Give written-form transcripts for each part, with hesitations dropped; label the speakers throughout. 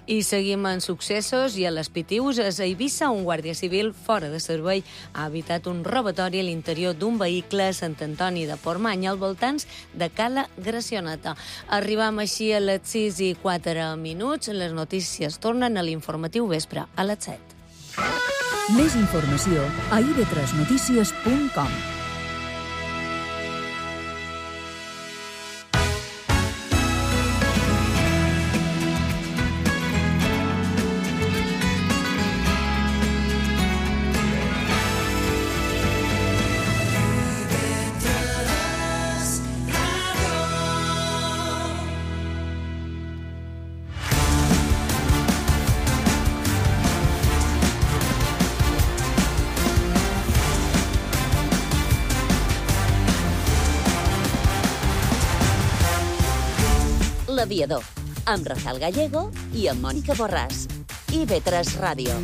Speaker 1: I seguim en successos i a les Pitius. A Eivissa, un guàrdia civil fora de servei ha evitat un robatori a l'interior d'un vehicle a Sant Antoni de Portmany, al voltants de Cala Gracioneta. Arribam així a les 6:04. Les notícies tornen a l'informatiu vespre a les 7.
Speaker 2: Més informació a ib3notícies.com.
Speaker 3: L'Aviador, amb Rafael Gallego i amb Mònica Borràs. IB3 Ràdio.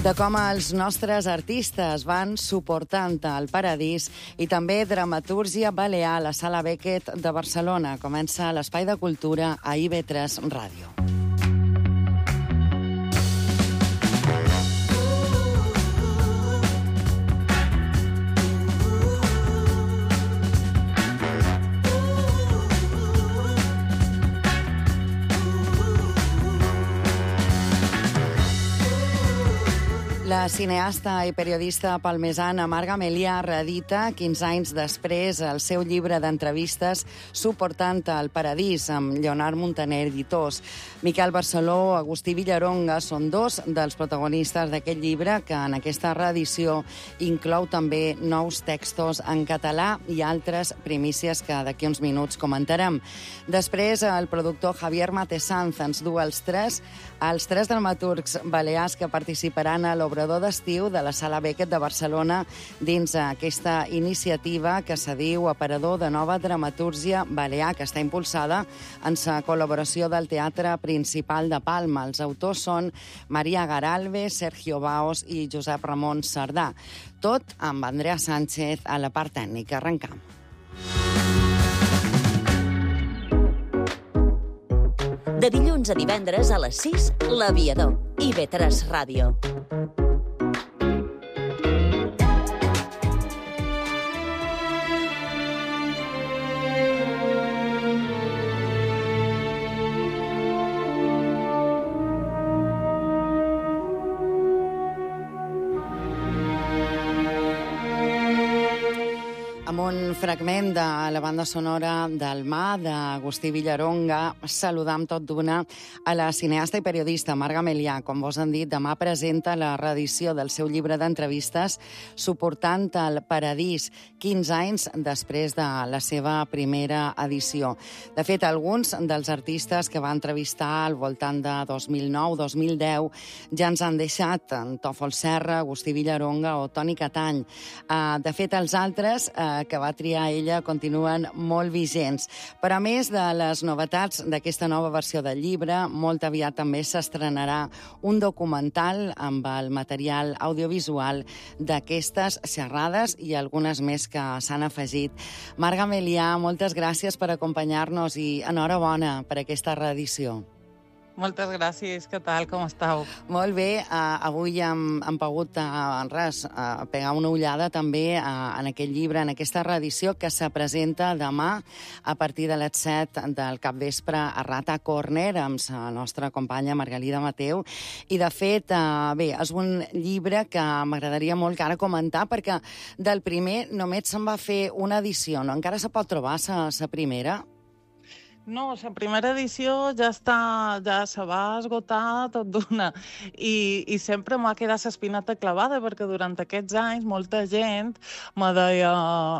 Speaker 4: De com els nostres artistes van suportant el paradís i també dramatúrgia balear a la Sala Beckett de Barcelona. Comença l'Espai de Cultura a IB3 Ràdio. La cineasta i periodista palmesana Marga Melià reedita 15 anys després el seu llibre d'entrevistes Suportant el paradís, amb Lleonard Montaner, editors. Miquel Barceló, Agustí Villaronga són dos dels protagonistes d'aquest llibre, que en aquesta reedició inclou també nous textos en català i altres primícies que d'aquí uns minuts comentarem. Després, el productor Javier Matesanz ens du els tres dramaturgs balears que participaran a l'obrador d'estiu de la Sala Beckett de Barcelona dins aquesta iniciativa que se diu Aparador de Nova Dramatúrgia Balear, que està impulsada en la col·laboració del Teatre Principal de Palma. Els autors són Maria Garalve, Sergio Baos i Josep Ramon Sardà. Tot amb Andrea Sánchez a la part tècnica. Arrencam.
Speaker 3: De dilluns a divendres a les 6, L'Aviador. IB3 Ràdio.
Speaker 4: Amb un fragment de la banda sonora del Mà, d'Agustí Villaronga, saludam tot d'una a la cineasta i periodista Marga Melià. Com vos han dit, demà presenta la reedició del seu llibre d'entrevistes Suportant el paradís, 15 anys després de la seva primera edició. De fet, alguns dels artistes que va entrevistar al voltant de 2009-2010 ja ens han deixat, en Tòfol Serra, Agustí Villaronga o Toni Catany. De fet, els altres que va triar ella continuen molt vigents. Però a més de les novetats d'aquesta nova versió del llibre, molt aviat també s'estrenarà un documental amb el material audiovisual d'aquestes xerrades i algunes més que s'han afegit. Marga Melià, moltes gràcies per acompanyar-nos i enhorabona per aquesta reedició.
Speaker 5: Moltes gràcies, què tal, com estàu?
Speaker 4: Molt bé, avui hem pogut pegar una ullada també en aquest llibre, en aquesta reedició que se presenta demà a partir de les 7 del capvespre a Rata Corner amb la nostra companya Margalida Mateu. I de fet, bé, és un llibre que m'agradaria molt que ara comentar perquè del primer només se'n va fer una edició, no? Encara se pot trobar la primera?
Speaker 5: No, la primera edició ja se va esgotar tot d'una i sempre m'ha quedat l'espinata clavada perquè durant aquests anys molta gent me deia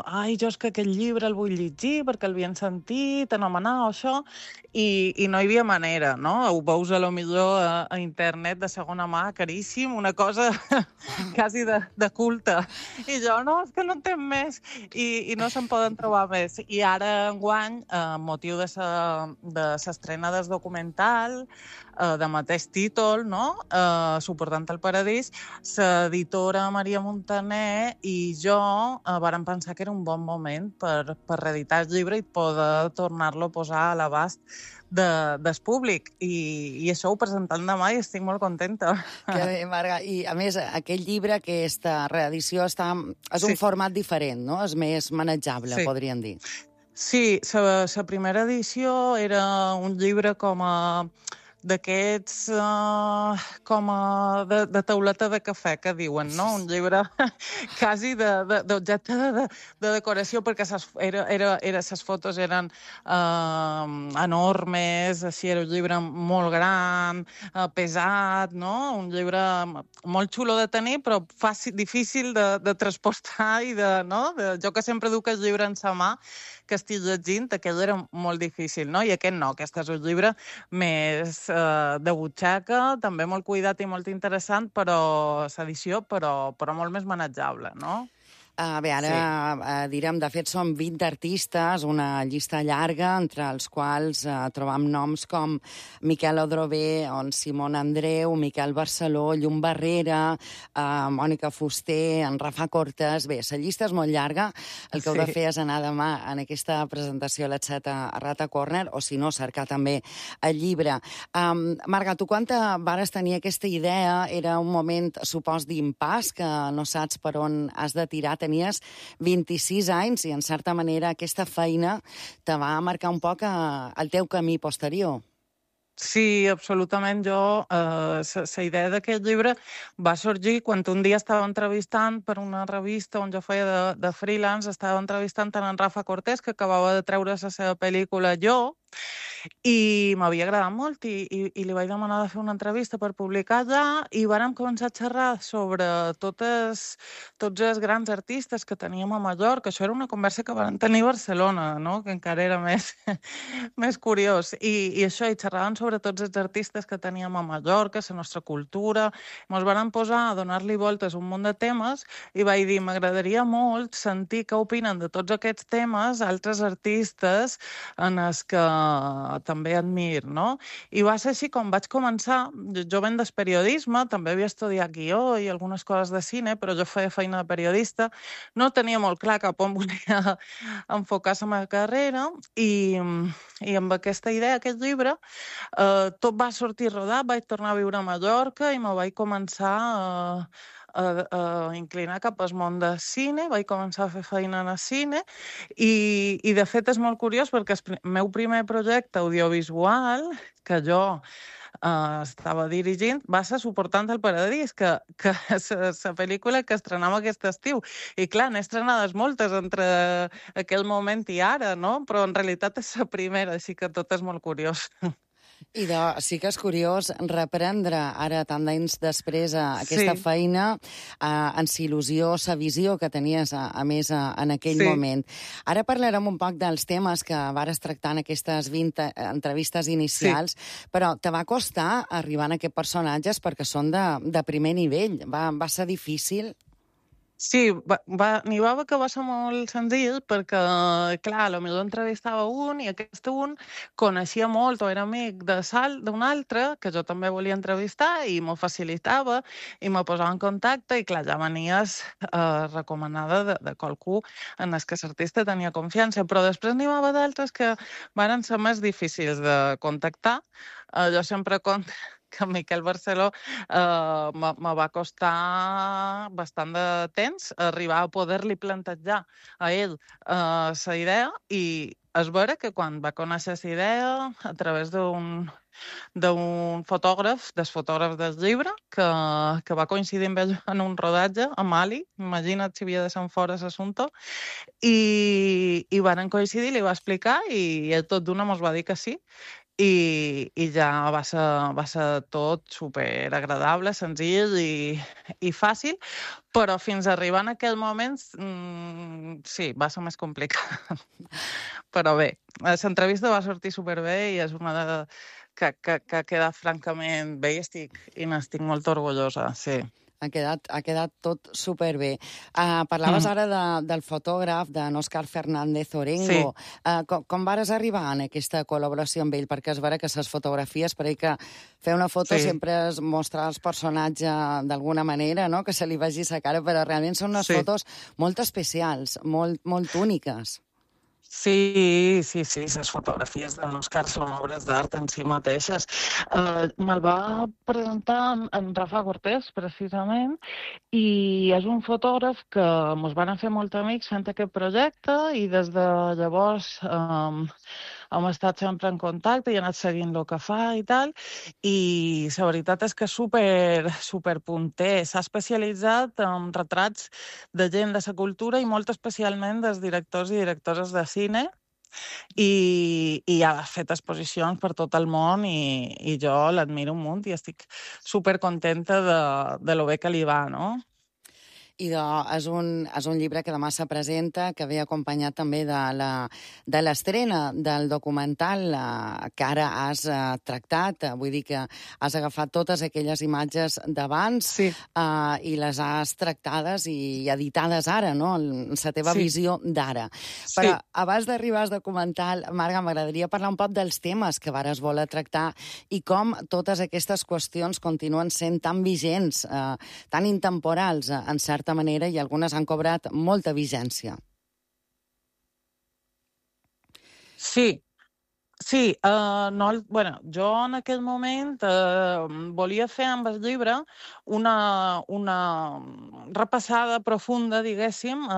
Speaker 5: ai, jo és que aquest llibre el vull llegir perquè el havien sentit anomenar o això i no hi havia manera, no? Ho veus a lo millor a internet de segona mà, caríssim, una cosa quasi de culte. I jo, no, és que no entenc més i no se'n poden trobar més. I ara, enguany, amb motiu de la de l'estrena del documental, de mateix títol, no? Suportant el paradís, l'editora Maria Montaner i jo vàrem pensar que era un bon moment per reeditar el llibre i poder tornar-lo a posar a l'abast del públic. I això ho presentant demà i estic molt contenta.
Speaker 4: Que bé, Marga. I, a més, aquest llibre, aquesta reedició, és un format diferent, no? És més manejable, podríem dir.
Speaker 5: Sí, la primera edició era un llibre com a d'aquests com a de tauleta de cafè, que diuen, no? Un llibre quasi d'objecte de decoració, perquè les fotos eren enormes, així era un llibre molt gran, pesat, no? Un llibre molt xulo de tenir, però difícil de transportar i jo que sempre duc el llibre en sa mà, que estic llegint, aquell era molt difícil, no? I aquest no, aquest és un llibre més de butxaca, també molt cuidat i molt interessant, però l'edició, però molt més manejable, no?
Speaker 4: Bé, ara direm, de fet, són 20 artistes, una llista llarga, entre els quals trobam noms com Miquel Odrové, Simón Andreu, Miquel Barceló, Llum Barrera, Mònica Fuster, en Rafa Cortes. Bé, la llista és molt llarga. El que heu de fer és anar demà en aquesta presentació a les 7 a Rata Corner, o si no, cercar també el llibre. Marga, tu quan vares tenir aquesta idea, era un moment, supos, d'impàs, que no saps per on has de tirar. Tenies 26 anys i, en certa manera, aquesta feina te va marcar un poc el teu camí posterior.
Speaker 5: Sí, absolutament. La idea d'aquest llibre va sorgir quan un dia estava entrevistant per una revista on jo feia de freelance, estava entrevistant en Rafa Cortés, que acabava de treure la seva pel·lícula Jo, i m'havia agradat molt i li vaig demanar de fer una entrevista per publicar-la i vàrem començar a xerrar sobre tots els grans artistes que teníem a Mallorca. Això era una conversa que vam tenir a Barcelona, no? Que encara era més curiós. I això, i xerràvem sobre tots els artistes que teníem a Mallorca, la nostra cultura. Ens vam posar a donar-li voltes a un munt de temes i vaig dir, m'agradaria molt sentir què opinen de tots aquests temes altres artistes en els que també admir, no? I va ser així com vaig començar. Jo venc del periodisme, també havia estudiat guió i algunes coses de cine, però jo feia feina de periodista. No tenia molt clar cap on volia enfocar la meva carrera i amb aquesta idea, aquest llibre, tot va sortir rodat, vaig tornar a viure a Mallorca i me vaig començar a inclinar cap al món del cine, vaig començar a fer feina en el cine i de fet és molt curiós perquè el meu primer projecte audiovisual que jo estava dirigint va ser Suportant el paradís, que és la pel·lícula que estrenava aquest estiu. I clar, n'he estrenades moltes entre aquell moment i ara, no? Però en realitat és la primera, així que tot és molt curiós.
Speaker 4: I sí que és curiós reprendre ara, tant d'anys després, aquesta feina en la il·lusió, la visió que tenies, a més, en aquell moment. Ara parlarem un poc dels temes que vares tractar en aquestes 20 entrevistes inicials, però te va costar arribar a aquests personatges perquè són de primer nivell. Va ser difícil?
Speaker 5: Sí, n'hi va haver que va ser molt senzill perquè, clar, potser entrevistava un i aquest un coneixia molt o era amic d'un altre que jo també volia entrevistar i m'ho facilitava i me posava en contacte i, clar, ja venies recomanada de qualcú en el que l'artista tenia confiança. Però després n'hi va haver d'altres que van ser més difícils de contactar. Jo sempre conto que Miquel Barceló me va costar bastant de temps arribar a poder-li plantejar a ell la idea i és vera que quan va conèixer la idea a través d'un fotògraf, dels fotògrafs del llibre, que va coincidir amb ell en un rodatge a Mali, imagina't si havia de ser fora l'assumpte, i van coincidir, li va explicar i ell tot d'una mos va dir que sí. I ja va ser tot superagradable, senzill i fàcil, però fins a arribar en aquell moment sí, va ser més complicat. Però bé, l'entrevista va sortir superbé i és una que queda francament bé i n'estic molt orgullosa, sí.
Speaker 4: Ha quedat tot superbé. Parlaves ara del fotògraf, d'en Òscar Fernández Orengo. Sí. Com vares arribar en aquesta col·laboració amb ell? Perquè es vera que les fotografies, per ell que fer una foto sempre es mostra els personatges d'alguna manera, no? Que se li vegi la cara, però realment són unes fotos molt especials, molt úniques.
Speaker 5: Sí, les fotografies de l'Òscar són obres d'art en si mateixes. Me'l va presentar en Rafa Cortés, precisament, i és un fotògraf que ens van fer molt amics fent aquest projecte i des de llavors hem estat sempre en contacte i he anat seguint el que fa i tal, i la veritat és que és super punter. S'ha especialitzat en retrats de gent de la cultura i molt especialment dels directors i directores de cine, i ha fet exposicions per tot el món i jo l'admiro un munt i estic supercontenta de lo bé que li va, no?
Speaker 4: I és un llibre que demà se presenta, que ve acompanyat també de l'estrena del documental que ara has tractat. Vull dir que has agafat totes aquelles imatges d'abans i les has tractades i editades ara, no? La teva visió d'ara. Però abans d'arribar al documental, Marga, m'agradaria parlar un poc dels temes que vares voler tractar i com totes aquestes qüestions continuen sent tan vigents, tan intemporals, en certa manera, i algunes han cobrat molta vigència.
Speaker 5: Sí, jo en aquell moment volia fer amb el llibre una repassada profunda, diguéssim,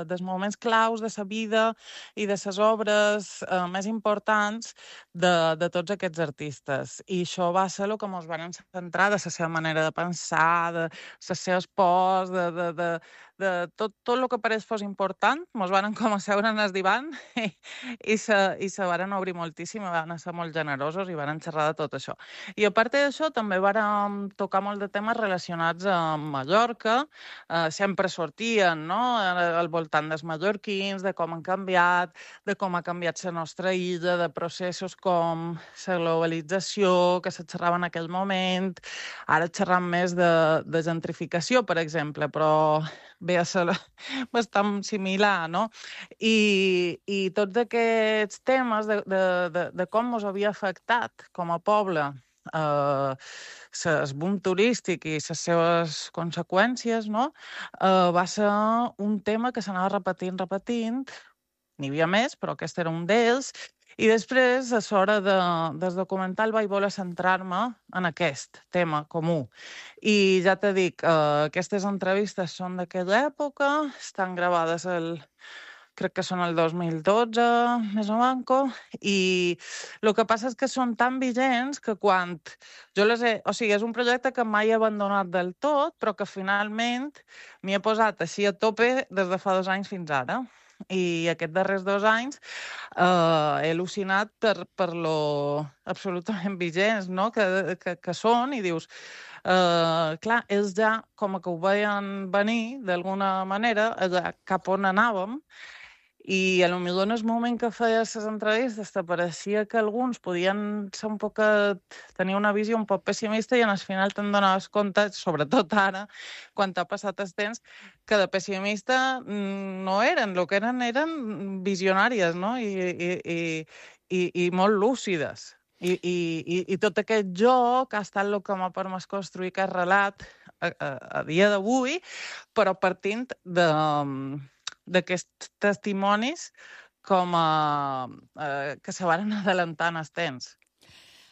Speaker 5: dels moments claus de la vida i de les obres més importants de tots aquests artistes. I això va ser el que ens van centrar de la seva manera de pensar, de les seves pors, de tot el que pareix fos important. Ens van com a seure en el divan i se van obrir moltíssim, van ser molt generosos i van xerrar de tot això. I a part d'això també van tocar molt de temes relacionats amb Mallorca, sempre sortien, no?, al voltant dels mallorquins, de com han canviat, de com ha canviat la nostra illa, de processos com la globalització, que se xerrava en aquell moment, ara xerram més de gentrificació, per exemple, però ve a ser bastant similar, no? I tots aquests temes de com ens havia afectat com a poble el boom turístic i les seves conseqüències, no? Va ser un tema que s'anava repetint. N'hi havia més, però aquest era un d'ells. I després, a l'hora del documental, vaig voler centrar-me en aquest tema comú. I ja t'he dit, aquestes entrevistes són d'aquella època, estan gravades crec que són el 2012, més o manco, i el que passa és que són tan vigents que quan jo les he... O sigui, és un projecte que mai he abandonat del tot, però que finalment m'hi he posat així a tope des de fa 2 anys fins ara. I aquests darrers 2 anys he al·lucinat per lo absolutament vigents, no?, que són, i dius, clar, ells ja com que ho veien venir d'alguna manera, cap on anàvem, i potser en el moment que feies les entrevistes t'apareixia que alguns podien ser tenir una visió un poc pessimista i al final te'n donaves compte, sobretot ara, quan t'ha passat el temps, que de pessimista no eren, el que eren visionàries, no? I molt lúcides. I tot aquest joc ha estat el que m'ha permès construir aquest relat a dia d'avui, però partint d'aquests testimonis que se van adelantant els temps.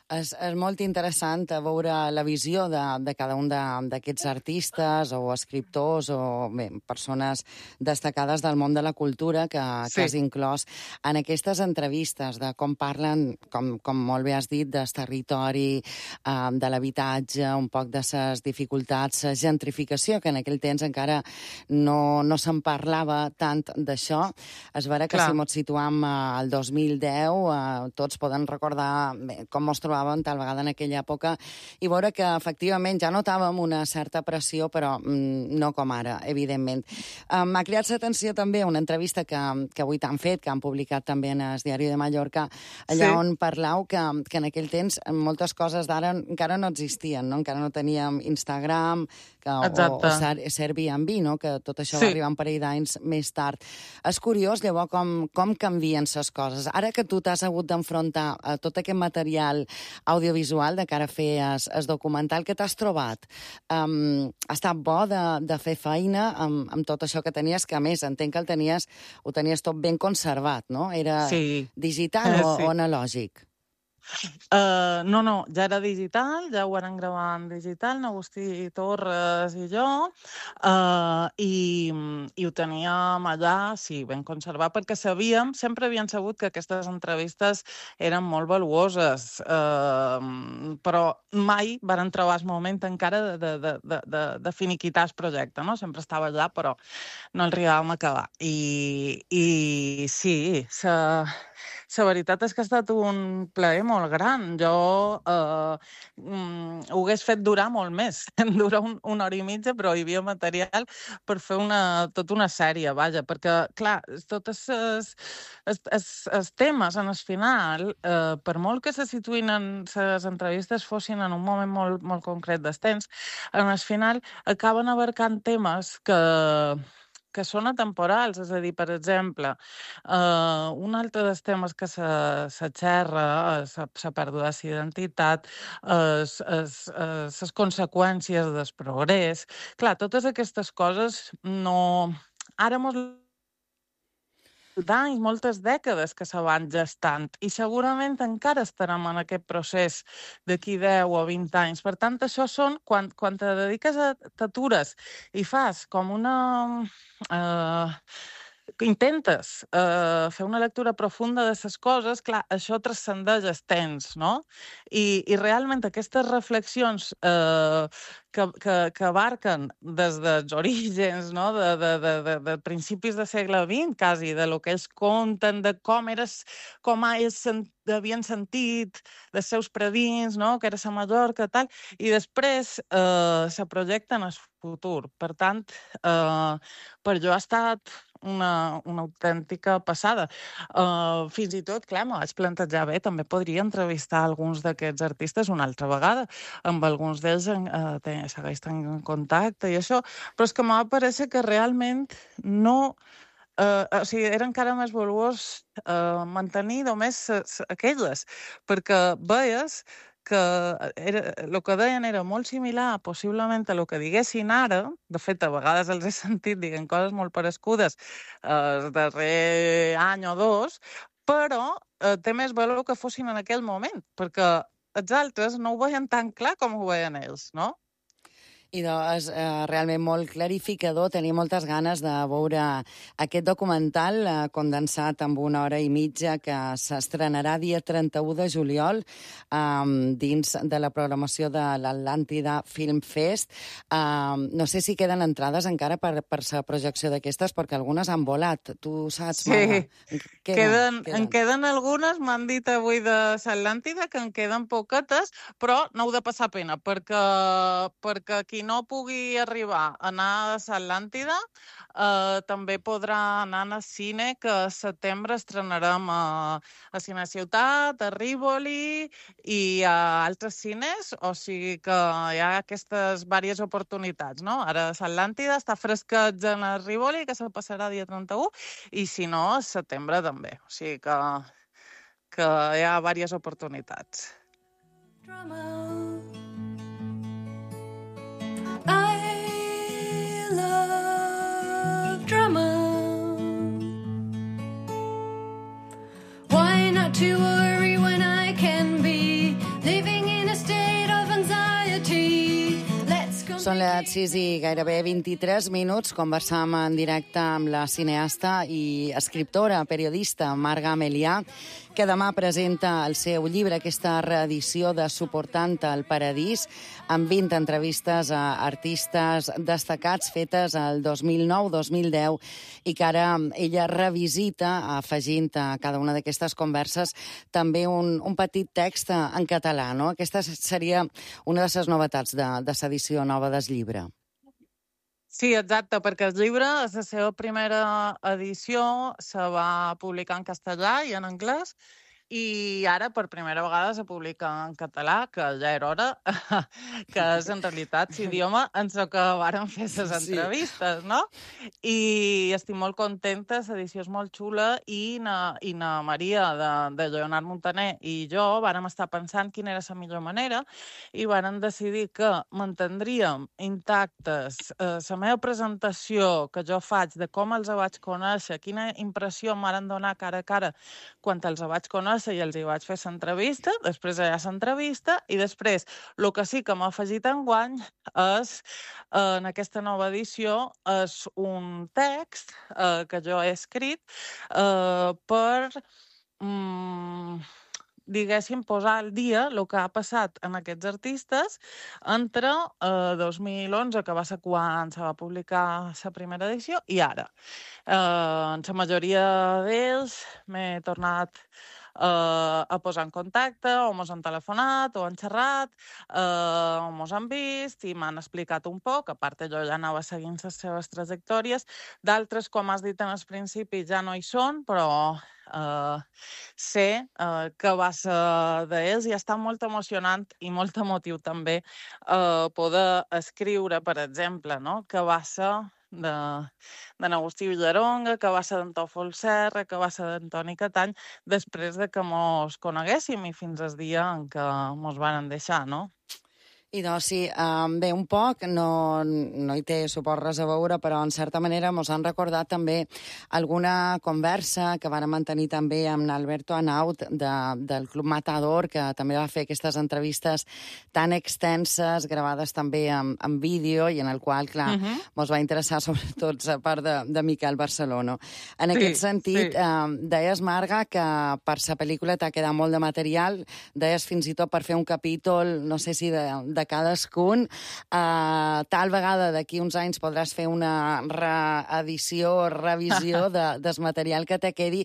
Speaker 4: És molt interessant veure la visió de cada un d'aquests artistes o escriptors o persones destacades del món de la cultura que has inclòs en aquestes entrevistes, de com parlen, com molt bé has dit, del territori, de l'habitatge, un poc de les dificultats, la gentrificació, que en aquell temps encara no se'n parlava tant d'això. És vera que si ens situam al 2010, tots poden recordar com ens trobàvem trobàvem tal vegada en aquella època, i veure que efectivament ja notàvem una certa pressió, però no com ara, evidentment. M'ha cridat l'atenció també una entrevista que avui t'han fet, que han publicat també en el Diari de Mallorca, allà on parlau que en aquell temps moltes coses d'ara encara no existien, no? Encara no teníem Instagram o Airbnb, no? Que tot això va arribar un parell d'anys més tard. És curiós, llavors, com canvien les coses. Ara que tu t'has hagut d'enfrontar a tot aquest material audiovisual de cara a fer el documental, que t'has trobat? Ha estat bo de fer feina amb tot això que tenies, que a més entenc que ho tenies tot ben conservat, no? Era digital o analògic?
Speaker 5: No, ja era digital, ja ho varen gravar en digital, Agustí Torres i jo, i ho teníem allà, ben conservat, perquè sempre havíem sabut que aquestes entrevistes eren molt valuoses, però mai varen trobar el moment encara de finiquitar el projecte, no? Sempre estava allà, però no el arribàvem a acabar. I sí, la veritat és que ha estat un plaer molt gran. Jo ho hagués fet durar molt més. Dura una hora i mitja, però hi havia material per fer tota una sèrie, vaja, perquè, clar, tots els temes, en el final, per molt que se situïn en les entrevistes fossin en un moment molt, molt concret del temps, en el final acaben abarcant temes que són atemporals, és a dir, per exemple, un altre dels temes que se xerra, la pèrdua d'identitat, les conseqüències del progrés. Clar, totes aquestes coses no... Ara d'anys, moltes dècades que se van gestant i segurament encara estarem en aquest procés d'aquí 10 o 20 anys. Per tant, això són, quan te dediques t'atures i fas com intentes fer una lectura profunda de les coses, clar, això transcendeix el temps, no? I realment aquestes reflexions que abarquen des dels orígens, no? De principis del segle XX, quasi, de lo que ells conten, de com ells havien sentit, dels seus predins, no? Que era la Mallorca, tal, i després se projecta en el futur. Per tant, per jo ha estat una autèntica passada. Fins i tot, clar, m'ho vaig plantejar bé, també podria entrevistar alguns d'aquests artistes una altra vegada, amb alguns d'ells segueix en contacte i això, però és que m'ha pareixer que realment no... O sigui, era encara més valuós mantenir només aquelles, perquè veies que el que deien era molt similar, possiblement, a el que diguessin ara. De fet, a vegades els he sentit dient coses molt parescudes el darrer any o dos, però té més valor que fossin en aquell moment, perquè els altres no ho veien tan clar com ho veien ells, no?
Speaker 4: I és realment molt clarificador. Tenia moltes ganes de veure aquest documental condensat en 1 hora i mitja que s'estrenarà dia 31 de juliol dins de la programació de l'Atlàntida Film Fest. No sé si queden entrades encara per la projecció d'aquestes, perquè algunes han volat. Tu saps, Marga?
Speaker 5: En queden algunes, m'han dit avui de l'Atlàntida, que en queden poquetes, però no heu de passar pena, perquè qui no pugui arribar a anar a l'Atlàntida també podrà anar al cine, que a setembre estrenarem a Cine Ciutat, a Rivoli i a altres cines, o sigui que hi ha aquestes diverses oportunitats, no? Ara a l'Atlàntida està fresquet en el Rivoli, que se passarà dia 31, i si no, a setembre també. O sigui que hi ha diverses oportunitats.
Speaker 6: I love drama. Why not to worry when I can be living in a state of anxiety? Let's go.
Speaker 4: Són Són les 6 i gairebé 23 minuts. Conversam en directe amb la cineasta i escriptora, periodista Marga Melià, que demà presenta el seu llibre, aquesta reedició de Suportant el Paradís, amb 20 entrevistes a artistes destacats fetes el 2009-2010 i que ara ella revisita, afegint a cada una d'aquestes converses també un petit text en català, no? Aquesta seria una de les novetats de l'edició nova del llibre.
Speaker 5: Sí, exacte, perquè el llibre, és la seva primera edició, se va publicar en castellà i en anglès, i ara per primera vegada se publica en català, que ja era hora, que és en realitat l'idioma en el que varen fer les entrevistes, no? I estic molt contenta, l'edició és molt xula, i na Maria de Leonard Montaner i jo vàrem estar pensant quina era la millor manera i vàrem decidir que mantindríem intactes la meva presentació que jo faig de com els vaig conèixer, quina impressió em varen donar cara a cara quan els vaig conèixer i els hi vaig fer l'entrevista, després allà l'entrevista, i després el que sí que m'ha afegit enguany és, en aquesta nova edició, és un text que jo he escrit per diguéssim, posar al dia el que ha passat en aquests artistes entre 2011, que va ser quan se va publicar la primera edició, i ara. En la majoria d'ells m'he tornat a posar en contacte, o mos han telefonat, o han xerrat, o mos han vist i m'han explicat un poc. A part, jo ja anava seguint les seves trajectòries. D'altres, com has dit en el principi, ja no hi són, però sé que va ser d'ells i està molt emocionant i molt emotiu també poder escriure, per exemple, no? Que va ser d'Agustí Villaronga, que va ser d'en Tòfol Serra, que va ser d'Antoni Catany, després de que mos coneguéssim i fins al dia en què mos van deixar, no?
Speaker 4: I doncs sí, bé, un poc, no hi té suport res a veure, però en certa manera mos han recordat també alguna conversa que vàrem mantenir també amb Alberto Anaut del Club Matador, que també va fer aquestes entrevistes tan extenses, gravades també en vídeo, i en el qual, clar, mos va interessar sobretot la part de Miquel Barcelona. En aquest sentit, deies, Marga, que per la pel·lícula t'ha quedat molt de material, deies fins i tot per fer un capítol, no sé si de cadascun. Tal vegada d'aquí uns anys podràs fer una reedició o revisió del material que te quedi,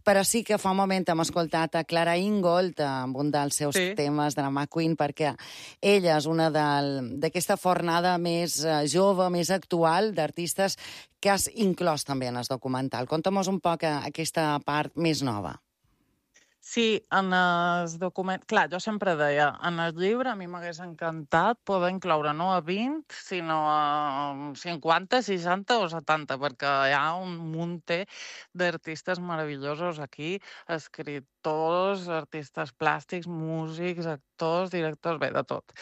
Speaker 4: però sí que fa un moment hem escoltat a Clara Ingold amb un dels seus temes de la McQueen, perquè ella és una d'aquesta fornada més jove, més actual, d'artistes que has inclòs també en el documental. Conta'm-nos un poc aquesta part més nova.
Speaker 5: Sí, en el document... Clar, jo sempre deia, en el llibre a mi m'hagués encantat poder incloure no a 20, sinó a 50, 60 o 70, perquè hi ha un munt d'artistes meravellosos aquí, escriptors, artistes plàstics, músics, actors, directors, bé, de tot.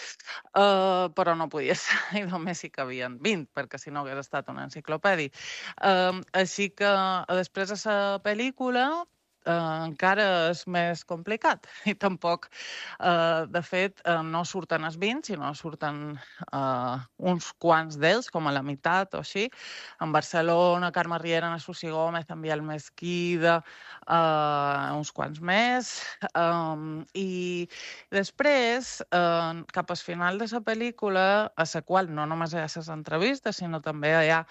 Speaker 5: Però no podia ser, i només hi cabien 20, perquè si no hagués estat una enciclopèdia. Així que després de la pel·lícula encara és més complicat i tampoc, de fet, no surten els 20, sinó surten uns quants d'ells, com a la meitat o així. En Barcelona, Carme Riera, Ana Susi Gómez, en Biel Mesquida, uns quants més. I després, cap al final de la pel·lícula, a la qual no només hi ha les entrevistes, sinó també hi ha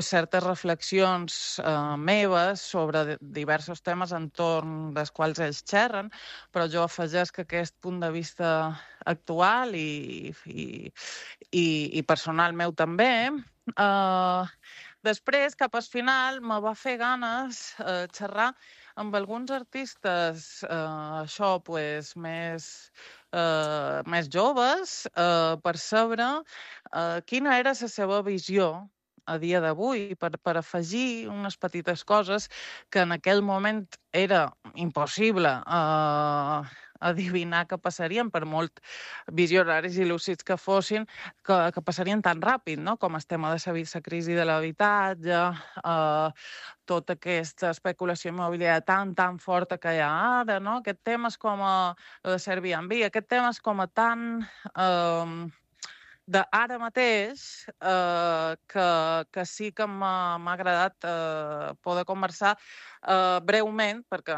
Speaker 5: certes reflexions meves sobre diversos temes entorn dels quals ells xerren, però jo afegeix que aquest punt de vista actual i personal meu també. Després, cap al final, me va fer ganes xerrar amb alguns artistes, més joves, per saber quina era la seva visió a dia d'avui, per afegir unes petites coses que en aquell moment era impossible adivinar que passarien, per molt visionaris i lúcids que fossin, que passarien tan ràpid, no? Com el tema de la crisi de l'habitatge, tota aquesta especulació immobiliària tan forta que hi ha ara, no? Aquest tema és com el de Airbnb, aquest tema és com tan d'ara mateix, que sí que m'ha agradat poder conversar breument, perquè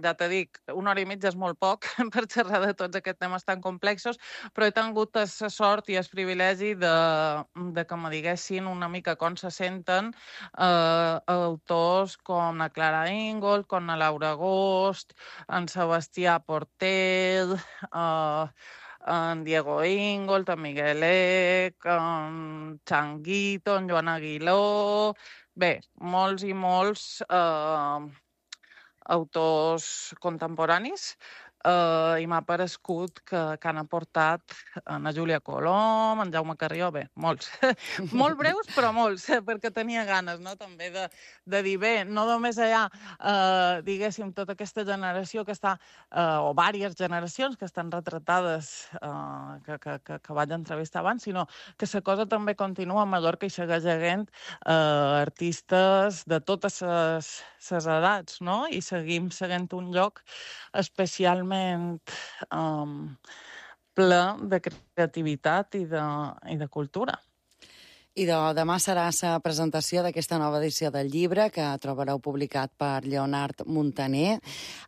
Speaker 5: ja t'he dit, 1 hora i mitja és molt poc per xerrar de tots aquests temes tan complexos, però he tingut la sort i el privilegi de que me diguessin una mica com se senten autors com la Clara Ingold, com la Laura Agost, en Sebastià Portell, en Diego Ingold, en Miguel Eck, en Changuito, en Joan Aguiló... Bé, molts i molts autors contemporanis i m'ha parescut que han aportat en Júlia Colom, en Jaume Carrió, bé, molts. Molt breus, però molts, perquè tenia ganes, no?, també de dir, bé, no només hi ha, diguéssim, tota aquesta generació que està, o diverses generacions que estan retratades, que vaig entrevistar abans, sinó que la cosa també continua a Mallorca i segueix havent artistes de totes les edats, no?, i seguim seguint un lloc especialment ple de creativitat i de cultura.
Speaker 4: I demà serà la presentació d'aquesta nova edició del llibre que trobareu publicat per Lleonard Montaner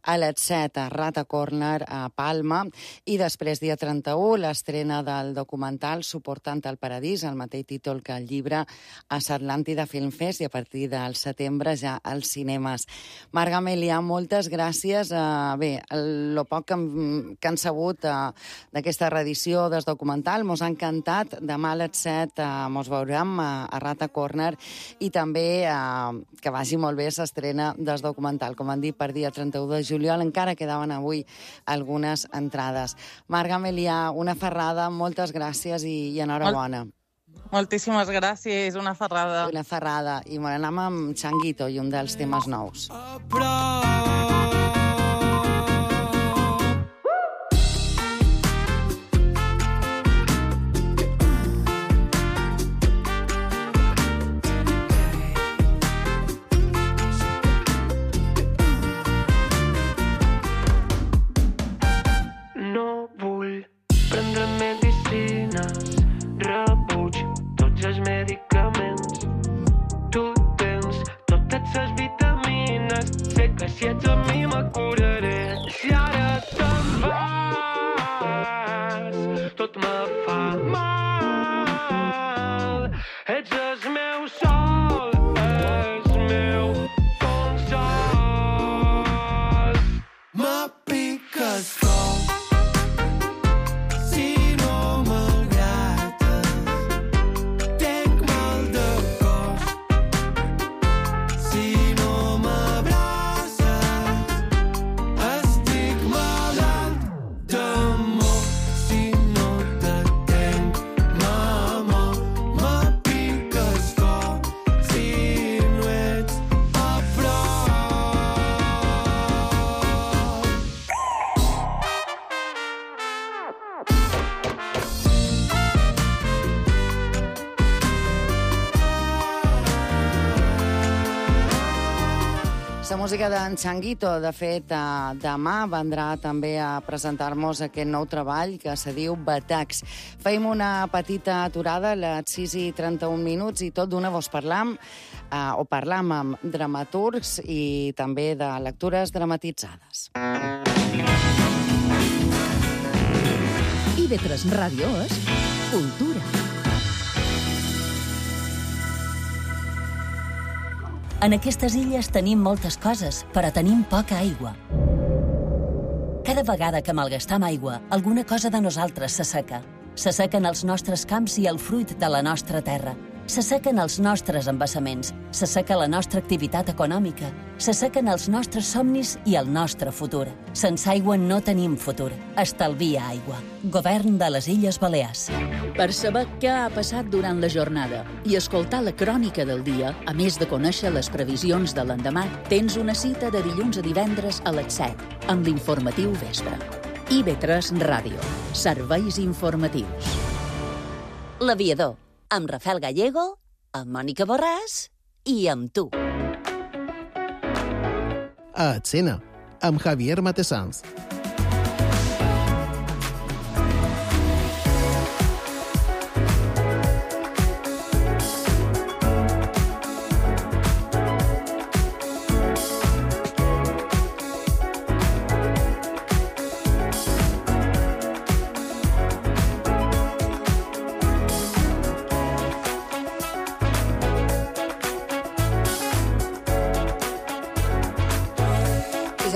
Speaker 4: a les 7 a Rata Corner a Palma i després, dia 31, l'estrena del documental Suportant el Paradís, el mateix títol que el llibre, a l'Atlàntida Film Fest i a partir del setembre ja als cinemes. Marga Melià, moltes gràcies. Bé, el poc que han sabut d'aquesta reedició del documental mos ha encantat. Demà a les 7 mos veurem a Rata Corner i també que vagi molt bé l'estrena del documental. Com han dit, per dia 31 de juliol encara quedaven avui algunes entrades. Marga Melià, una ferrada, moltes gràcies i enhorabona.
Speaker 5: Moltíssimes gràcies, una ferrada.
Speaker 4: Una ferrada. I anem amb Changuito i un dels temes nous.
Speaker 7: Si ets amb mi me curaré. Si ara te'n vas, tot me fa mal. Ets el meu sol, el meu consol. Me piques cor si no m'agrades. Tenc mal de cos si no
Speaker 4: La música d'en Changuito, de fet, demà vendrà també a presentar-nos aquest nou treball que se diu Batacs. Feim una petita aturada a les 6:31 i tot d'una vos parlam amb dramaturgs i també de lectures dramatitzades.
Speaker 2: IB3 Ràdio és cultura.
Speaker 3: En aquestes illes tenim moltes coses, però tenim poca aigua. Cada vegada que malgastam aigua, alguna cosa de nosaltres s'asseca. S'assequen els nostres camps i el fruit de la nostra terra. S'assequen els nostres embassaments, s'asseca la nostra activitat econòmica, s'assequen els nostres somnis i el nostre futur. Sense aigua no tenim futur. Estalvia aigua. Govern de les Illes Balears.
Speaker 2: Per saber què ha passat durant la jornada i escoltar la crònica del dia, a més de conèixer les previsions de l'endemà, tens una cita de dilluns a divendres a les 7, amb l'informatiu vespre. IB3 Ràdio. Serveis informatius.
Speaker 3: L'Aviador, amb Rafael Gallego, amb Mònica Borràs i amb tu.
Speaker 8: A Escena, amb Javier Matesanz.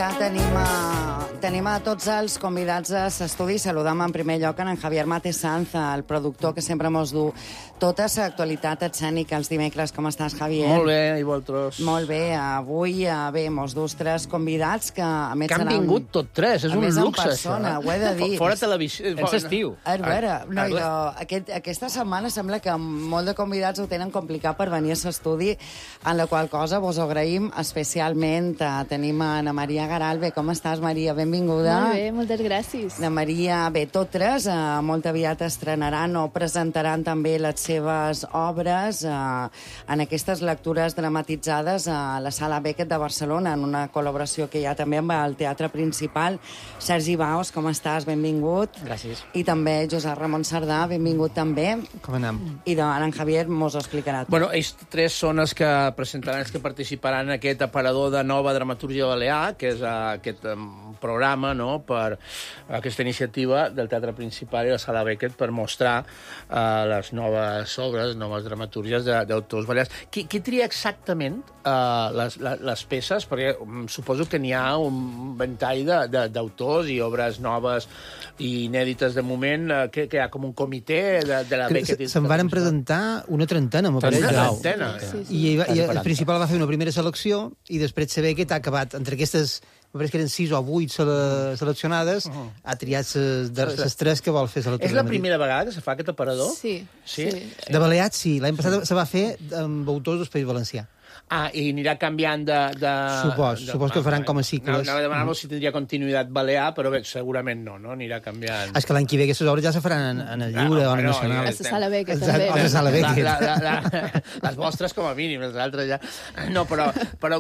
Speaker 4: Ja tenim a tots els convidats a l'estudi. Saludam en primer lloc en Javier Mate Sanz, el productor que sempre mos du tota l'actualitat escènica els dimecres. Com estàs, Javier?
Speaker 9: Molt bé, i vosaltres?
Speaker 4: Molt bé. Avui mos dus 3 convidats que a més
Speaker 9: que han
Speaker 4: seran...
Speaker 9: vingut tot 3, és un luxe,
Speaker 4: persona,
Speaker 9: això.
Speaker 4: Ho he de dir.
Speaker 9: Fora televisió.
Speaker 10: És estiu.
Speaker 4: A veure, no, aquesta setmana sembla que molt de convidats ho tenen complicat per venir a l'estudi, en la qual cosa vos ho agraïm especialment. Tenim a Ana Maria Garalbe. Com estàs, Maria? Benvinguda.
Speaker 11: Molt bé, moltes gràcies.
Speaker 4: Ana Maria, bé, tot 3, molt aviat estrenaran o presentaran també les seves obres en aquestes lectures dramatitzades a la Sala Beckett de Barcelona, en una col·laboració que hi ha també amb el Teatre Principal. Sergi Baos, com estàs? Benvingut.
Speaker 10: Gràcies.
Speaker 4: I també Josep Ramon Sardà, benvingut també.
Speaker 10: Com anem?
Speaker 4: I en Javier mos ho explicarà.
Speaker 9: Bueno, ells 3 són els que presentaran, els que participaran en aquest aparador de nova dramatúrgia balear, que és aquest programa, no?, per aquesta iniciativa del Teatre Principal i la Sala Beckett per mostrar les noves obres, noves dramatúrgies d'autors balears. Qui tria exactament les peces? Perquè suposo que n'hi ha un ventall d'autors i obres noves i inèdites de moment, que hi ha com un comitè de la Beckett.
Speaker 12: Se'n van presentar una trentena, m'ho pareix.
Speaker 9: Una trentena?
Speaker 12: I el Principal va fer una primera selecció i després la Beckett ha acabat entre aquestes... M'ho que eren 6 o 8 seleccionades, ha triat les 3 que vol fer la
Speaker 9: És la primera vegada que se fa aquest aparador?
Speaker 11: Sí.
Speaker 12: De Balears, sí. L'any passat se va fer amb autors del País Valencià.
Speaker 9: I anirà canviant de...
Speaker 12: Supos que faran com a cicles.
Speaker 9: Anava a demanar-vos si tindria continuïtat balear, però bé, segurament no? Anirà canviant.
Speaker 12: És que l'any que ve aquestes obres ja se faran en el Lliure o en el Nacional.
Speaker 11: A la Sala Beckett, també.
Speaker 12: A la Sala Beckett.
Speaker 9: Les vostres, com a mínim, les altres ja... No, però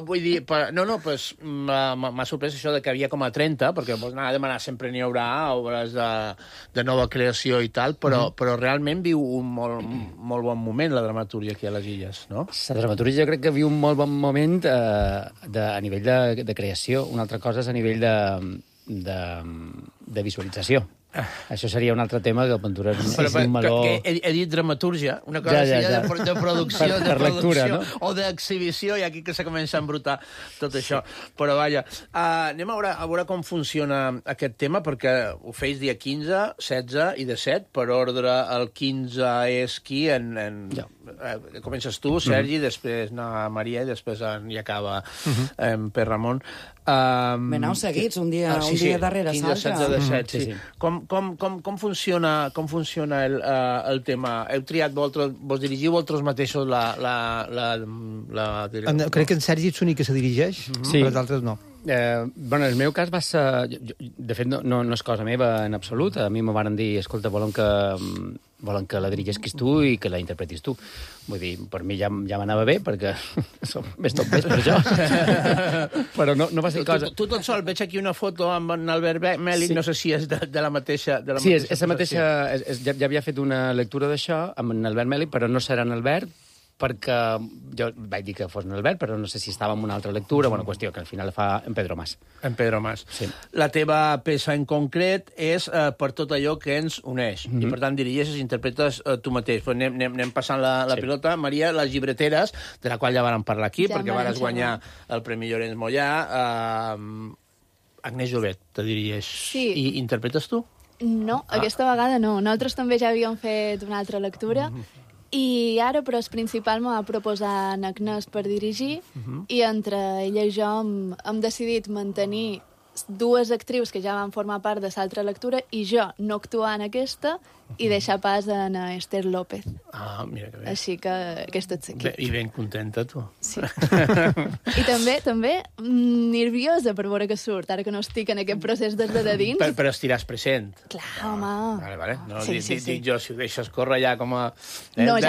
Speaker 9: vull dir... M'ha sorprès això de que havia com a 30, perquè vos anava a demanar sempre n'hi haurà obres de nova creació i tal, però realment viu un molt bon moment la dramatúrgia aquí a les Illes, no?
Speaker 10: La dramatúrgia jo crec que viu un molt bon moment a nivell de creació. Una altra cosa és a nivell de visualització. Això seria un altre tema que el Ventura és un meló...
Speaker 9: He dit dramatúrgia, una cosa de producció,
Speaker 10: per lectura, no?
Speaker 9: O d'exhibició, i aquí que se comença a embrutar tot això. Però vaja, anem a veure com funciona aquest tema, perquè ho feis dia 15, 16 i 17, per ordre el 15 és qui? Comences tu, Sergi, després Maria, i després hi acaba Per Ramon.
Speaker 4: Aneu seguits, un dia darrere l'altre.
Speaker 9: 15, 16, 17, sí. Com funciona el tema? Heu triat vos dirigiu vosaltres mateixos la
Speaker 12: crec que en Sergi ets l'únic que se dirigeix, però els altres no.
Speaker 10: En el meu cas va ser... De fet, no és cosa meva en absolut. A mi m'ho van dir, escolta, volen que la dirigisquis tu i que la interpretis tu. Vull dir, per mi ja m'anava bé, perquè som més tot més per això. Però no va ser cosa...
Speaker 9: Tu tot sol, veig aquí una foto amb en Albert Mèlic, no sé si és de la mateixa...
Speaker 10: Sí, és la mateixa... Ja havia fet una lectura d'això amb en Albert Mèlic, però no serà en Albert, perquè jo vaig dir que fos en Albert, però no sé si estava en una altra lectura, bona qüestió, que al final la fa en Pedro Mas.
Speaker 9: En Pedro Mas.
Speaker 10: Sí.
Speaker 9: La teva peça en concret és per tot allò que ens uneix, i per tant dirigeixes i interpretes tu mateix. Però anem passant la pilota. Maria, Les llibreteres, de la qual ja vàrem parlar aquí, perquè vares guanyar el Premi Llorenç Mollà. Agnès Jovet te dirigeix.
Speaker 11: Sí.
Speaker 9: I interpretes tu?
Speaker 11: No, aquesta vegada no. Nosaltres també ja havíem fet una altra lectura, i ara, però, el Principal m'ha proposat en Agnès per dirigir, i entre ella i jo hem decidit mantenir 2 actrius que ja van formar part de l'altra lectura i jo no actuar en aquesta i deixar pas a Esther López.
Speaker 9: Mira que bé.
Speaker 11: Així que aquest és l'equip.
Speaker 9: I ben contenta, tu.
Speaker 11: Sí. I també nerviosa per veure què surt, ara que no estic en aquest procés des de dins.
Speaker 9: Però estiràs present.
Speaker 11: Clar, home.
Speaker 9: Vale. No,
Speaker 11: sí.
Speaker 9: Dic jo, si ho deixes córrer ja com a...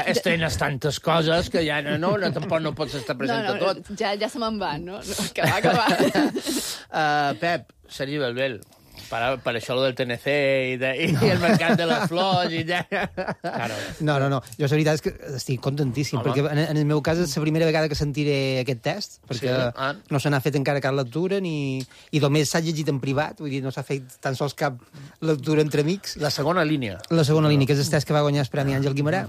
Speaker 9: estrenes tantes coses que ja tampoc no pots estar present a tot.
Speaker 11: Ja se me'n van, no? Que va.
Speaker 9: Pep, Sergi Belbel, per això del TNC i el mercat de les flors i ja...
Speaker 12: No. Jo la veritat és que estic contentíssim, perquè en el meu cas és la primera vegada que sentiré aquest test, perquè no se n'ha fet encara cap lectura, i només s'ha llegit en privat, vull dir, no s'ha fet tan sols cap lectura entre amics.
Speaker 9: La segona línia.
Speaker 12: La segona línia, que és el test que va guanyar el Premi Àngel Guimerà.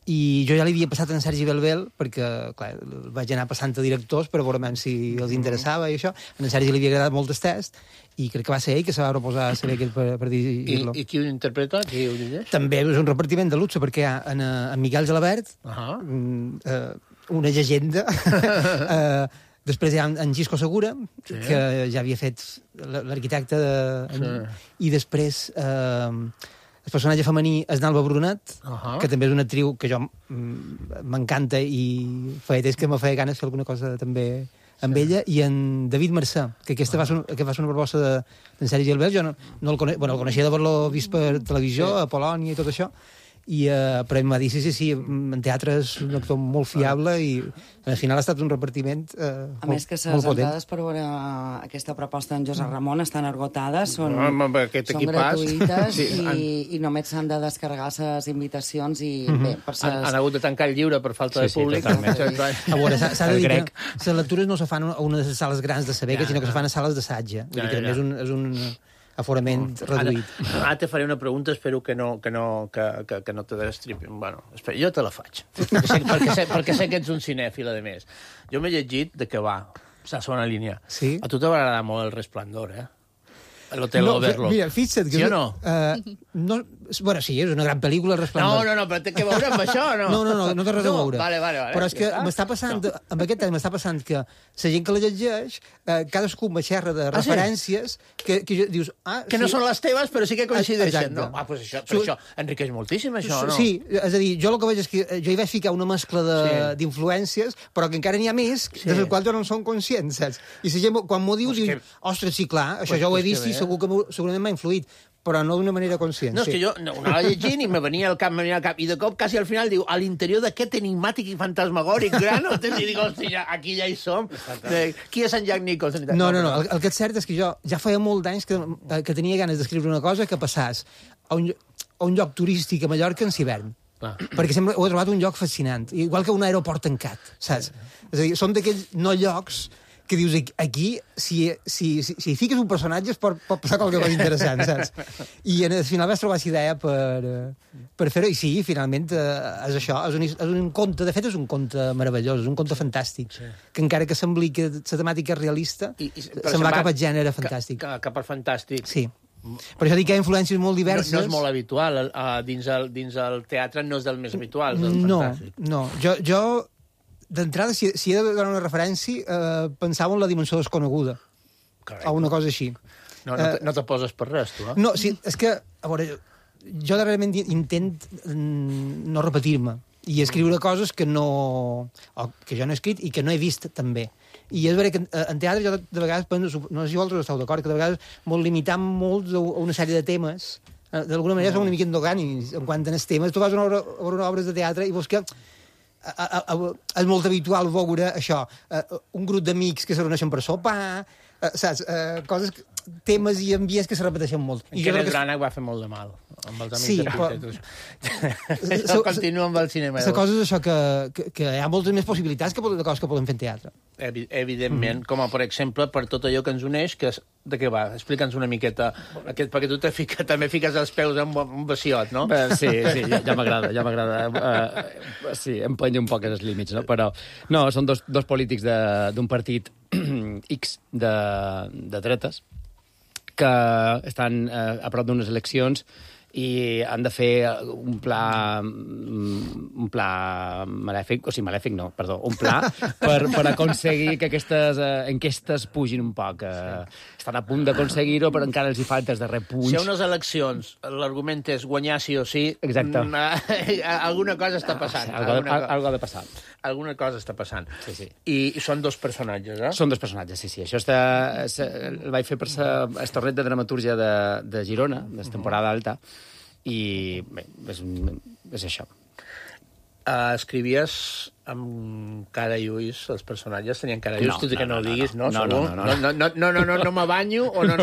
Speaker 12: I jo ja li havia passat en Sergi Belbel, perquè, clar, vaig anar passant a directors per veure si els interessava i això. En Sergi li havia agradat molt el test, i crec que va ser ell que se va proposar a ser aquest per dirigir-lo.
Speaker 9: I qui ho interpreta? Qui ho dirigeix?
Speaker 12: També és un repartiment de luxe, perquè hi ha en Miquel Gelabert, una llegenda. Després hi ha en Gisco Segura, que ja havia fet l'arquitecte, i després el personatge femení és Nalba Brunat, que també és una actriu que jo m'encanta i feia temps que me feia ganes fer alguna cosa també amb ella, i en David Mercè, que aquesta va ser una proposta d'en Sergi Gelbel. Jo no el coneixia, el coneixia d'haver-lo vist per televisió, a Polònia i tot això, però em va dir, sí, en teatre és un actor molt fiable, i al final ha estat un repartiment molt potent.
Speaker 4: A més que les entrades per veure aquesta proposta d'en Josep Ramon estan esgotades, són gratuïtes, i només s'han de descarregar les invitacions, i bé, per ser...
Speaker 9: Han hagut de tancar el llibre per falta de públic.
Speaker 12: A veure, s'ha de dir que les lectures no se fan a una de les sales grans de Sabeca, sinó que se fan a sales d'assaig. És un aforament reduït.
Speaker 9: Ara te faré una pregunta, espero que no te destripi. Bueno, espera, jo te la faig. Perquè sé que ets un cinèfil, a més. Jo m'he llegit de què va, la segona línia.
Speaker 12: Sí?
Speaker 9: A tu t'agradarà molt El Resplendor, l'Hotel Overlook.
Speaker 12: Mira, fixa't que...
Speaker 9: Sí o no?
Speaker 12: Bueno, sí, és una gran pel·lícula, El Resplendor.
Speaker 9: No, però té que veure amb això, o no?
Speaker 12: No té res a veure.
Speaker 9: Vale.
Speaker 12: Però és que m'està passant, amb aquest temps m'està passant que la gent que la llegeix, cadascú me xerra de referències que dius...
Speaker 9: Que no són les teves, però sí que coincideixen. No? Pues això enriqueix moltíssim, això, no?
Speaker 12: Sí, és a dir, jo el que veig és que jo hi vaig ficar una mescla d'influències, però que encara n'hi ha més, de les quals jo no en som conscients, saps? I la gent, quan m'ho diu, ostres, sí, clar, això ja ho he vist i segurament m'ha influït, però no d'una manera conscient.
Speaker 9: No, és que jo anava llegint i me venia al cap, i de cop, quasi al final, diu, a l'interior d'aquest enigmàtic i fantasmagòric gran, i dic, hòstia, aquí ja hi som. Qui és en Jack Nicholson?
Speaker 12: No, el que és cert és que jo ja feia molt d'anys que tenia ganes d'escriure una cosa que passàs a un lloc turístic a Mallorca en hivern. Perquè sempre ho he trobat un lloc fascinant, igual que un aeroport tancat, saps? És a dir, són d'aquells no llocs que dius, aquí, si hi fiques un personatge pot passar qualque cosa interessant, saps? I al final vas trobar aquesta idea per fer-ho, i sí, finalment és això, és un conte, de fet és un conte meravellós, és un conte fantàstic, que encara que sembli que la temàtica és realista, se'n va cap al gènere fantàstic.
Speaker 9: Cap al fantàstic.
Speaker 12: Sí. Per això dic que hi ha influències molt diverses.
Speaker 9: No és molt habitual, dins el teatre no és del més habitual, del fantàstic.
Speaker 12: No, jo d'entrada, si he de donar una referència, pensava en La dimensió desconeguda. O una cosa així.
Speaker 9: No te poses per res, tu,
Speaker 12: No, sí, és que, a veure, jo darrerament intent no repetir-me i escriure coses que jo no he escrit i que no he vist, també. I és veritat que en teatre jo de vegades penso, no sé si vosaltres esteu d'acord, que de vegades molt limitant molt a una sèrie de temes. D'alguna manera som una mica endogànics en quant a els temes. Tu vas a veure obres de teatre i veus que és molt habitual veure això, un grup d'amics que se reuneixen per sopar, saps? Coses, temes i ambients que se repeteixen molt.
Speaker 9: I Kenneth Branagh va fer molt de mal amb els amics de Peter. Això continua amb el cinema.
Speaker 12: La cosa és això, que hi ha moltes més possibilitats de coses que podem fer en teatre.
Speaker 9: Evidentment, com per exemple, per tot allò que ens uneix, que de què va? Explica'ns una miqueta, perquè tu també fiques els peus en un baciot, no?
Speaker 10: Sí, ja m'agrada. Sí, empenyo un poc els límits, no? Però, no, són dos polítics d'un partit X de dretes que estan a prop d'unes eleccions i han de fer un pla malèfic, un pla per aconseguir que aquestes enquestes pugin un poc. Estan a punt d'aconseguir-ho, però encara els hi falta el darrer punt.
Speaker 9: Si hi ha unes eleccions, l'argument és guanyar sí o sí,
Speaker 10: exacte.
Speaker 9: Alguna cosa està passant.
Speaker 10: Algo ha de passar.
Speaker 9: Alguna cosa està passant.
Speaker 10: Sí.
Speaker 9: I són dos personatges, eh?
Speaker 10: Són dos personatges, sí. Això el vaig fer per el torneig de dramatúrgia de Girona, de temporada alta, i bé, és això.
Speaker 9: Escrivies amb cara i ulls, els personatges tenien cara i ulls, tot i que no ho diguis, no? No m'abanyo o no?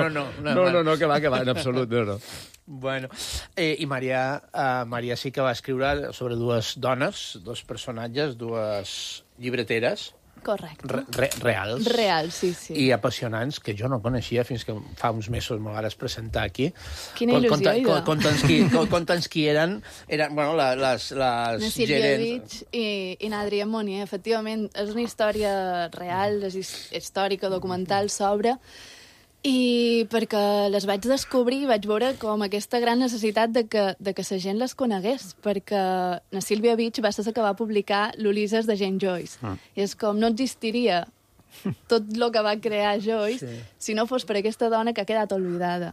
Speaker 10: No, que va, en absolut, no.
Speaker 9: Bueno, i Maria sí que va escriure sobre dues dones, dos personatges, dues llibreteres,
Speaker 11: Correcte.
Speaker 9: Reals.
Speaker 11: Reals, sí.
Speaker 9: I apassionants, que jo no coneixia fins que fa uns mesos me vas presentar aquí.
Speaker 11: Quina il·lusió, Ida.
Speaker 9: Conta'ns qui eren bueno, les
Speaker 11: Na Sílvia
Speaker 9: gerents...
Speaker 11: Beach i n'Adrià Monnier. Efectivament, és una història real, és històrica, documental, sobre... I perquè les vaig descobrir vaig veure com aquesta gran necessitat de que la gent les conegués, perquè na Sílvia Beach va ser la que va publicar l'Ulisses de Jane Joyce. I és com no existiria tot el que va crear Joyce si no fos per aquesta dona que ha quedat oblidada.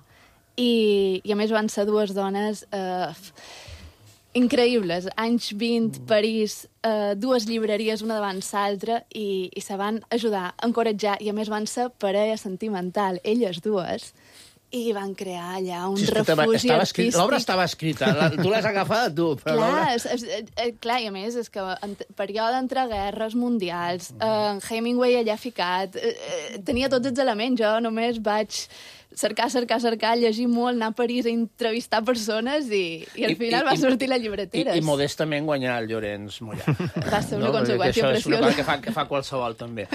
Speaker 11: I a més van ser dues dones increïbles. Anys 20, París, dues llibreries, una davant l'altra, i se van ajudar, encoratjar, i a més van ser parella sentimental, elles dues, i van crear allà un refugi artístic.
Speaker 9: L'obra estava escrita, tu l'has agafada tu. Però
Speaker 11: clar, i a més, és que en període entre guerres mundials, Hemingway allà ficat, tenia tots els elements, jo només vaig... cercar, llegir molt, anar a París a entrevistar persones i al final va sortir la llibretera.
Speaker 9: I modestament guanyar el Llorenç Mollà.
Speaker 11: Va ser una conseqüència preciosa.
Speaker 9: Això és una cosa que fa qualsevol, també.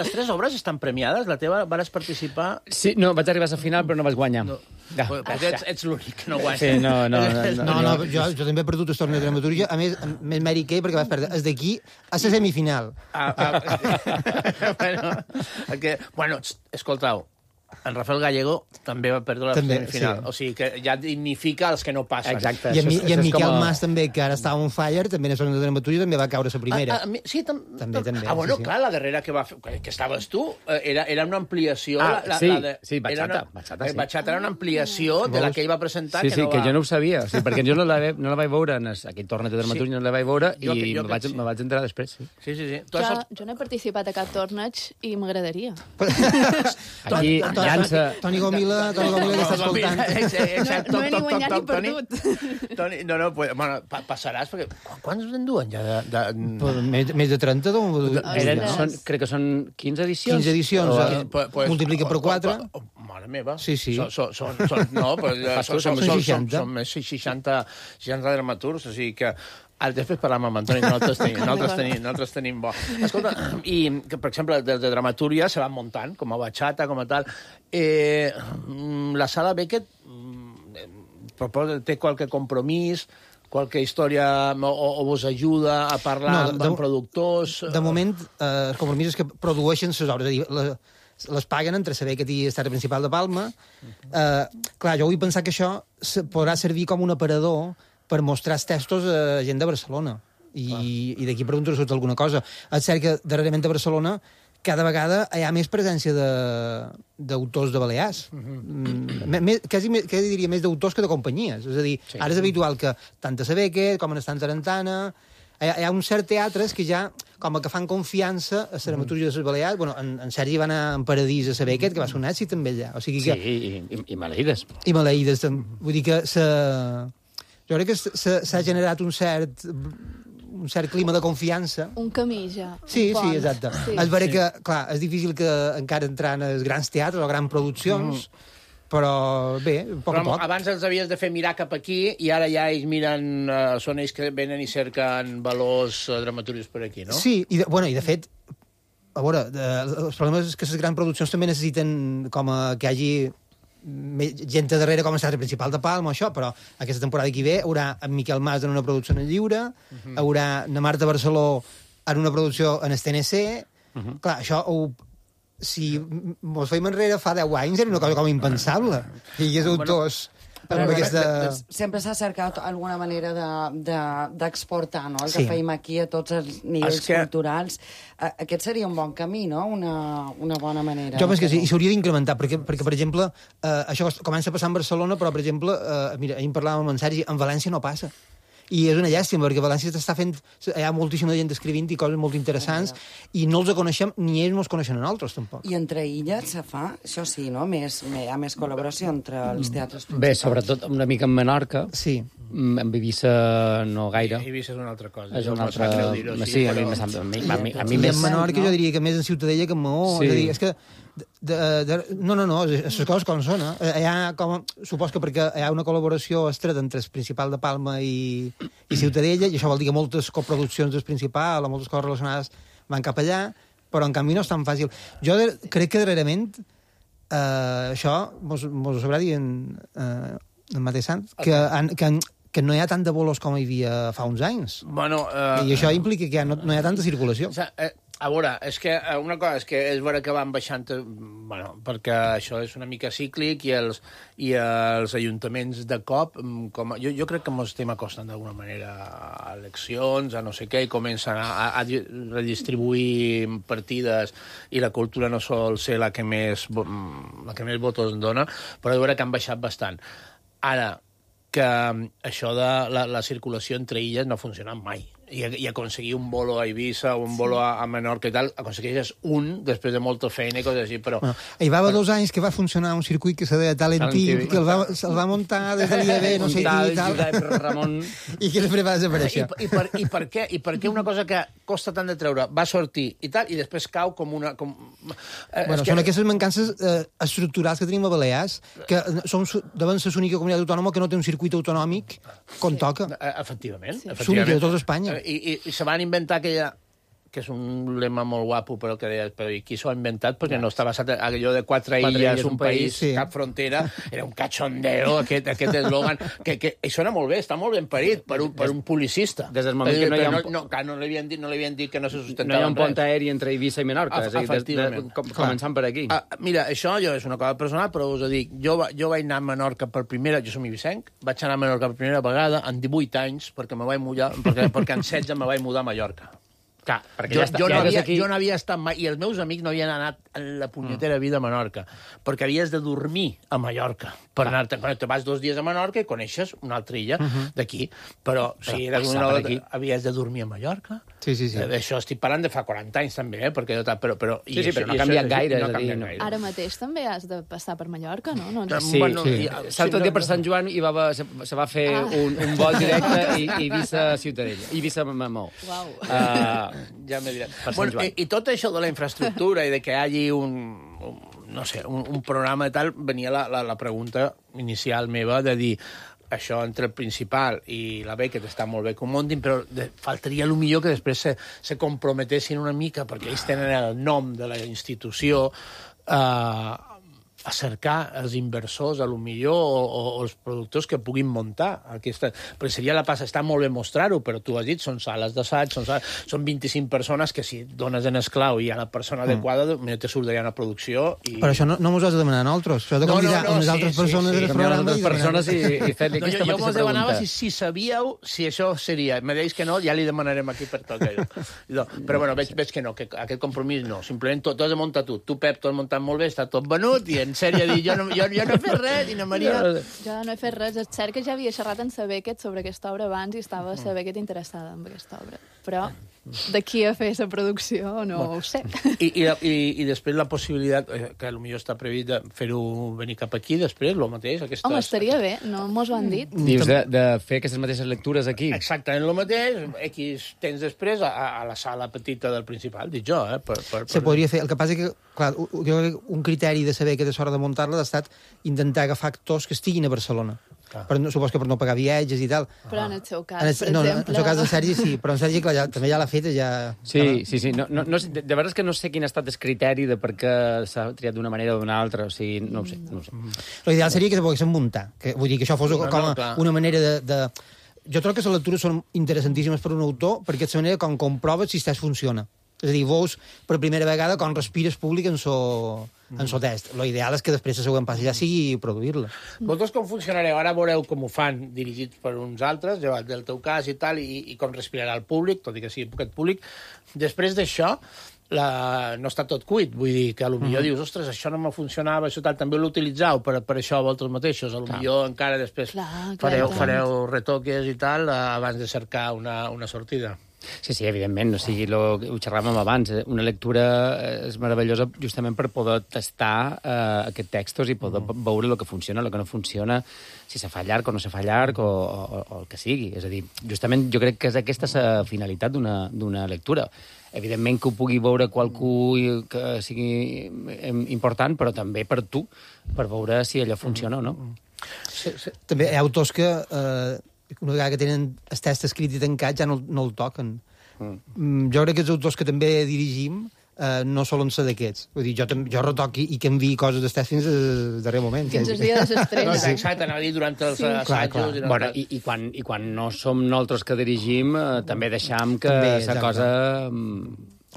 Speaker 9: Les tres obres estan premiades? La teva vas participar?
Speaker 10: Sí, no, vaig arribar a la final, però no vaig guanyar.
Speaker 9: No. Ets l'únic que no guanya.
Speaker 10: Sí,
Speaker 12: no, jo també he perdut el torneig de dramaturgia, a més mèrit que perquè vas perdre. És d'aquí a la semifinal.
Speaker 9: Bueno, escoltau, en Rafael Gallego també va perdre la semifinal. O sigui que ja dignifica els que no passen.
Speaker 10: Exacte.
Speaker 12: I en Miquel Mas també, que ara estava on fire, també en el de dramaturgia, també va caure la primera.
Speaker 9: Sí, també. Bueno, clar, la darrera que va fer, que estaves tu, era una ampliació.
Speaker 10: Sí, Bachata.
Speaker 9: Bachata era una ampliació de la que ell va presentar.
Speaker 10: Sí, que jo no ho sabia, perquè jo no la vaig veure en aquell torneig de dramaturgia, no la vaig veure i me vaig enterar després.
Speaker 9: Sí.
Speaker 11: Jo no he participat a cap torneig i m'agradaria.
Speaker 10: Aquí...
Speaker 12: Toni Gomila que està escoltant.
Speaker 9: Exacte.
Speaker 11: No he ni guanyat ni perdut.
Speaker 9: Toni, bueno, passaràs, perquè quants en duen ja?
Speaker 12: Més de 30,
Speaker 10: crec que són 15 edicions.
Speaker 12: 15 edicions, multiplica per 4.
Speaker 9: Mare meva.
Speaker 12: Sí.
Speaker 9: Són més 60 dramaturgs, o sigui que... Després parlam amb Antoni, nosaltres tenim bo. Escolta, i que, per exemple, de dramatúrgia se van muntant, com a Bachata, com a tal. La Sala Beckett té qualque compromís, qualque història o vos ajuda a parlar amb productors?
Speaker 12: De moment, el compromís és que produeixen les obres, és a dir, les paguen entre saber que té Teatre Principal de Palma. Clar, jo vull pensar que això podrà servir com un aparador per mostrar els textos a gent de Barcelona. I d'aquí pregunto si alguna cosa. És cert que darrerament a Barcelona cada vegada hi ha més presència d'autors de Balears. Quasi diria més d'autors que de companyies. És a dir, ara és habitual que tant a Beckett com en Estant Tarantana hi ha un cert teatres que ja com que fan confiança a la dramatúrgia de les Balears. Bueno, en Sergi va anar en Paradís a Beckett, que va ser un èxit també allà. O sigui que...
Speaker 10: Sí, i Maleïdes.
Speaker 12: I Maleïdes. Vull dir que jo crec que s'ha generat un cert clima de confiança.
Speaker 11: Un camí, ja.
Speaker 12: Sí, exacte. És vera que, clar, és difícil que encara entrar en els grans teatres o grans produccions, però bé, a poc.
Speaker 9: Abans els havies de fer mirar cap aquí i ara ja ells miren, són ells que venen i cerquen valors dramaturgs per aquí, no?
Speaker 12: Sí, i de fet, a veure, els problemes és que les grans produccions també necessiten que hi hagi gent de darrere com a Teatre Principal de Palma, això, però aquesta temporada que ve haurà en Miquel Mas en una producció en el Lliure, haurà na Marta Barceló en una producció en el TNC. Clar, això, si mos feim enrere fa 10 anys, era una cosa com impensable. I hi hagués autors...
Speaker 4: Sempre s'ha cercat alguna manera d'exportar, no? El que fèiem aquí a tots els nivells culturals. Aquest seria un bon camí, no? Una bona manera.
Speaker 12: Jo penso que sí, i s'hauria d'incrementar, perquè, per exemple, això comença a passar en Barcelona, però, per exemple, mira, ahir en parlàvem amb en Sergi, en València no passa. I és una llàstima, perquè València està fent... Hi ha moltíssima gent escrivint i coses molt interessants, i no els coneixem, ni ells no els coneixen a nosaltres, tampoc.
Speaker 4: I entre illes se fa, això sí, no? Hi ha més col·laboració entre els teatres principals.
Speaker 10: Bé, sobretot una mica en Menorca.
Speaker 12: Sí.
Speaker 10: En Eivissa no gaire.
Speaker 9: Eivissa és una altra cosa.
Speaker 10: És una altra... Sí, a mi més...
Speaker 12: En Menorca jo diria que més en Ciutadella que en Maó. És a dir, és que... No, les coses com són, supos que perquè hi ha una col·laboració estreta entre el Principal de Palma i Ciutadella, i això vol dir que moltes coproduccions del Principal o moltes coses relacionades van cap allà, però en canvi no és tan fàcil. Jo crec que darrerament això mos ho sabrà dir en Mateu Sant, que no hi ha tant de bolos com hi havia fa uns anys.
Speaker 9: Bueno,
Speaker 12: I això implica que no hi ha tanta circulació.
Speaker 9: A veure, és que una cosa és que és vera que van baixant, bueno, perquè això és una mica cíclic i els ajuntaments de cop, jo crec que ens estem acostant d'alguna manera a eleccions, a no sé què, i comencen a redistribuir partides i la cultura no sol ser la que més votos dona, però és vera que han baixat bastant. Ara, que això de la circulació entre illes no ha funcionat mai. I aconseguir un bolo a Eivissa o un bolo a Menorca i tal, aconsegueixes un després de molta feina i coses així, però...
Speaker 12: Bueno, hi va haver 2 anys que va funcionar un circuit que se deia Talent TV, que el va muntar des de l'IAB, no sé qui i tal,
Speaker 10: Ramon...
Speaker 12: i que després va desaparèixer.
Speaker 9: I per què una cosa que costa tant de treure va sortir i tal, i després cau com una...
Speaker 12: Bueno, són aquestes mancances estructurals que tenim a Balears, que deuen ser l'única comunitat autònoma que no té un circuit autonòmic com toca.
Speaker 9: Efectivament.
Speaker 12: L'única de tota Espanya.
Speaker 9: I se van inventar aquella, que és un lema molt guapo, però que deia, però i qui s'ho ha inventat? Perquè no està basat en allò de 4 illes, un país, cap frontera, era un cachondeo, aquest eslògan, que sona molt bé, està molt ben parit per un publicista.
Speaker 10: Des del moment que no hi ha...
Speaker 9: No li havien dit que no se sustentava
Speaker 10: no hi ha un pont aeri entre Eivissa i Menorca, començant per aquí.
Speaker 9: Mira, això és una cosa personal, però us ho dic, jo vaig anar a Menorca per primera, jo som ibicenc, vaig anar a Menorca per primera vegada en 18 anys, perquè en 16 me vaig mudar a Mallorca.
Speaker 10: Clar,
Speaker 9: jo no havia estat mai, i els meus amics no havien anat en la punyetera vida a Menorca, perquè havies de dormir a Mallorca. Per anar-te, te vas 2 dies a Menorca i coneixes una altra illa d'aquí, però si eres havies de dormir a Mallorca.
Speaker 12: Sí.
Speaker 9: Això estic parlant de fa 40 anys també, perquè però
Speaker 10: no ha canviat gaire.
Speaker 11: Ara mateix també has de passar per Mallorca, no?
Speaker 10: Sí. L'altre dia per Sant Joan se va fer un vol directe Eivissa-Ciutadella, Eivissa-Mamó.
Speaker 9: Ja m'he dit. Bueno, i tot això de la infraestructura i de que hi hagi un programa i tal, venia la pregunta inicial meva de dir això entre el principal i la Beckett està molt bé que ho muntin, però faltaria millor que després se comprometessin una mica, perquè ells tenen el nom de la institució, a cercar els inversors, a lo millor, o els productors que puguin muntar aquesta... Perquè seria la passa, està molt bé mostrar-ho, però tu has dit, són sales d'assaig, són 25 persones que si dones en esclau i hi ha la persona adequada, te surt d'allà una producció i...
Speaker 12: Però això no mos has de demanar a nosaltres, això de convidar unes altres persones del programa
Speaker 10: i fer-li aquesta mateixa pregunta.
Speaker 9: Jo mos demanava si sabíeu si això seria. Me deies que no, ja li demanarem aquí per tot. Però bueno, veig que no, que aquest compromís no. Simplement tot has de muntar tu. Tu, Pep, t'ho has muntat molt bé, està tot venut, i en sèrie dir, jo no he fet res, i na Maria...
Speaker 11: Jo no he fet res. És cert que ja havia xerrat en Saber sobre aquesta obra abans i estava Saber interessada en aquesta obra. Però d'aquí a fer la producció no ho sé.
Speaker 9: I després la possibilitat, que potser està previst de fer-ho venir cap aquí, després, el mateix.
Speaker 11: Home, estaria bé, no mos ho han dit.
Speaker 10: Dius de fer aquestes mateixes lectures aquí.
Speaker 9: Exactament el mateix, X temps després a la sala petita del principal, dic jo,
Speaker 12: Se podria fer. El que passa que, clar, un criteri de saber que és hora de muntar-la ha estat intentar agafar actors que estiguin a Barcelona. Supos que per no pagar viatges i tal.
Speaker 11: Però en el seu cas, per exemple...
Speaker 12: En el seu cas, en Sergi, sí. Però en Sergi, clar, també ja l'ha fet, ja...
Speaker 10: Sí. De veritat és que no sé quin ha estat el criteri de per què s'ha triat d'una manera o d'una altra. O sigui, no ho sé.
Speaker 12: L'ideal seria que se poguessin muntar. Vull dir que això fos com una manera de... Jo trobo que les lectures són interessantíssimes per un autor, perquè és la manera com comproves si el funciona. És a dir, veus per primera vegada com respires públic en so test. L'ideal és que després el següent pas ja sigui produir-la.
Speaker 9: Vosaltres com funcionareu? Ara veureu com ho fan dirigits per uns altres, llevat del teu cas i tal, i com respirarà el públic, tot i que sigui poquet públic. Després d'això, no està tot cuit, vull dir que potser dius, ostres, això no me funcionava, això tal, també l'utilitzau per això vosaltres mateixos, potser encara després fareu retoques i tal abans de cercar una sortida.
Speaker 10: Sí, evidentment, o sigui, ho xerràvem abans, una lectura és meravellosa justament per poder tastar aquests textos i poder veure el que funciona, el que no funciona, si se fa llarg o no se fa llarg o el que sigui. És a dir, justament jo crec que és aquesta la finalitat d'una lectura. Evidentment que ho pugui veure qualcú que sigui important, però també per tu, per veure si allò funciona o no.
Speaker 12: També hi ha autors que... una vegada que tenen el text escrit i tancat ja no el toquen. Jo crec que els autors que també dirigim no solen ser d'aquests. Vull dir, jo retoqui i canvi coses d'estès fins al darrer moment.
Speaker 11: Fins al dia de l'estrena.
Speaker 9: Exacte, anava a dir durant els assajos.
Speaker 10: Bueno, i quan no som nosaltres que dirigim, també deixam que la cosa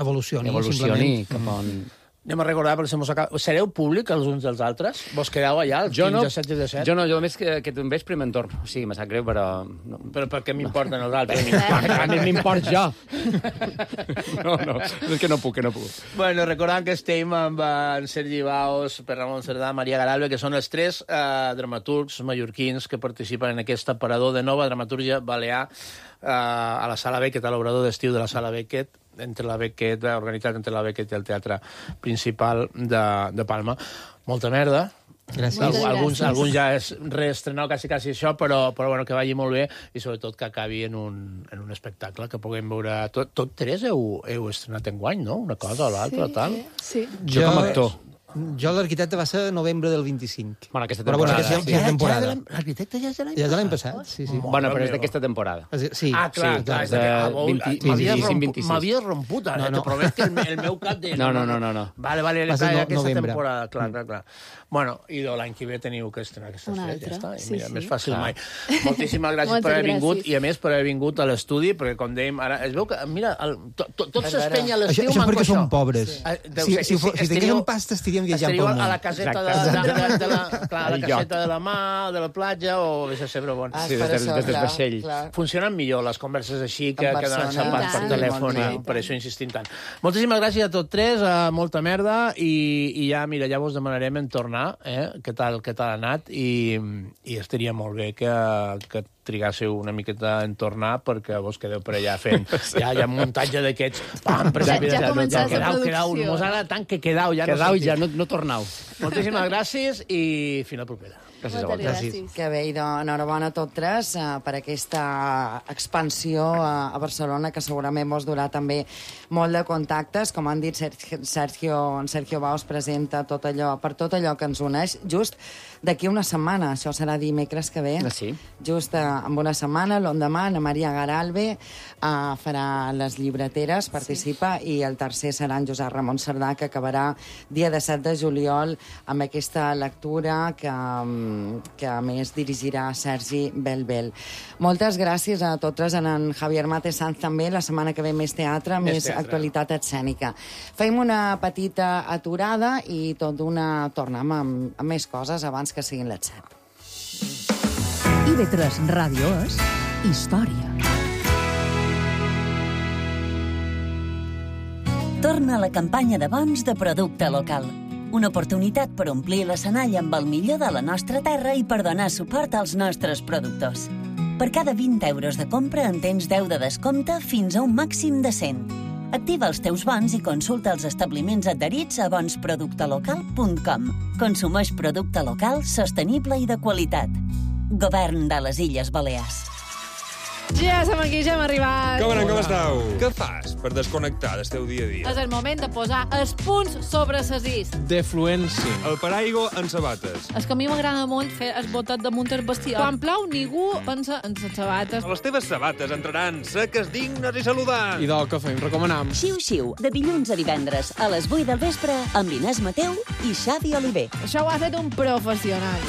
Speaker 12: evolucioni
Speaker 10: cap on...
Speaker 9: Anem a recordar, perquè sereu públic els uns dels altres? Vos quedeu allà, els 15, 17?
Speaker 10: Jo no, jo només que un vespre me'n torno. O sigui, me sap greu, però... No.
Speaker 9: Però per què m'importen els altres?
Speaker 10: A mi m'import jo. No, és que no puc.
Speaker 9: Bueno, recordant que estem amb en Sergi Baos, Per Ramon Cerdà, Maria Garalbe, que són els 3 dramaturgs mallorquins que participen en aquest aparador de nova dramatúrgia balear a la Sala Beckett, a l'obrador d'estiu de la Sala Beckett, organitzat entre la Beckett i el Teatre Principal de Palma. Molta merda.
Speaker 12: Gràcies.
Speaker 9: Alguns ja és reestrenar quasi això, però bueno, que vagi molt bé i sobretot que acabi en un espectacle que puguem veure... Tot 3 heu estrenat enguany, no? Una cosa o l'altra, tal?
Speaker 11: Sí.
Speaker 10: Jo com a actor.
Speaker 12: Jo l'arquitecte va ser novembre del 25.
Speaker 10: Bueno, aquesta temporada.
Speaker 12: Però bueno, aquesta temporada.
Speaker 9: L'arquitecte ja és de l'any
Speaker 12: passat? Ja és de l'any passat, sí.
Speaker 10: Bueno, però és d'aquesta temporada.
Speaker 12: Sí.
Speaker 9: Ah, clar. M'havia romput ara, te promet que el meu cap de...
Speaker 10: No.
Speaker 9: Vale, aquesta temporada, clar. Bueno, i l'any que ve teniu que estrenar aquestes 3, ja està. Mira, més fàcil mai. Moltíssimes gràcies per haver vingut i, a més, per haver vingut a l'estudi, perquè, com dèiem, ara es veu que, mira, tot s'espenya a l'estiu.
Speaker 12: Això perquè som pobres. Si tinguéssim pasta, estaríem viatjant pel món.
Speaker 9: A la caseta de la mà, de la platja, o a Cebre Bon.
Speaker 10: Sí, des del vaixell.
Speaker 9: Funcionen millor les converses així que donen xapats per telèfon, i per això insistim tant. Moltíssimes gràcies a tots 3, molta merda, i ja, mira, ja vos demanarem en tornar, què tal ha anat, i estaria molt bé que trigasseu una miqueta en tornar, perquè vos quedeu per allà fent ja muntatge d'aquests.
Speaker 11: Ja començat la producció.
Speaker 9: Mos agrada tant que quedau, ja
Speaker 10: no tornau.
Speaker 9: Moltíssimes gràcies i fins la propera.
Speaker 10: Gràcies a vosaltres.
Speaker 4: Que bé, i enhorabona a tots 3 per aquesta expansió a Barcelona, que segurament vos durà també molt de contactes. Com han dit, Sergio Baos presenta per tot allò que ens uneix, just d'aquí una setmana. Això serà dimecres que ve.
Speaker 10: Sí.
Speaker 4: Just en una setmana, l'endemà, Ana Maria Garalbe farà les llibreteres, participa, i el tercer serà en Josep Ramon Cerdà, que acabarà dia 17 de juliol amb aquesta lectura que a més dirigirà Sergi Belbel. Moltes gràcies a totes, a en Javier Mate Sanz també. La setmana que ve més teatre, més actualitat escènica. Fem una petita aturada i tot d'una tornem amb més coses abans que siguin les 7.
Speaker 2: IB3 Ràdio és història.
Speaker 3: Torna la campanya de bons de producte local. Una oportunitat per omplir l'escenari amb el millor de la nostra terra i per donar suport als nostres productors. Per cada 20 euros de compra en tens 10 de descompte fins a un màxim de 100. Activa els teus bons i consulta els establiments adherits a bonsproductelocal.com. Consumeix producte local, sostenible i de qualitat. Govern de les Illes Balears.
Speaker 13: Ja som aquí, ja hem arribat.
Speaker 14: Com esteu? Què fas per desconnectar del teu dia a dia?
Speaker 13: És el moment de posar els punts sobre les is.
Speaker 14: Defluència. El paraigua en sabates.
Speaker 13: És que a mi m'agrada molt fer el botet damunt el bestiar. Quan plou, ningú pensa en les sabates.
Speaker 14: Les teves sabates entraran seques, dignes i saludants.
Speaker 15: I del que fem, recomanam.
Speaker 3: Xiu-xiu, de dilluns a divendres, a les 8 del vespre, amb Inés Mateu i Xavi Oliver.
Speaker 13: Això ho ha fet un professional.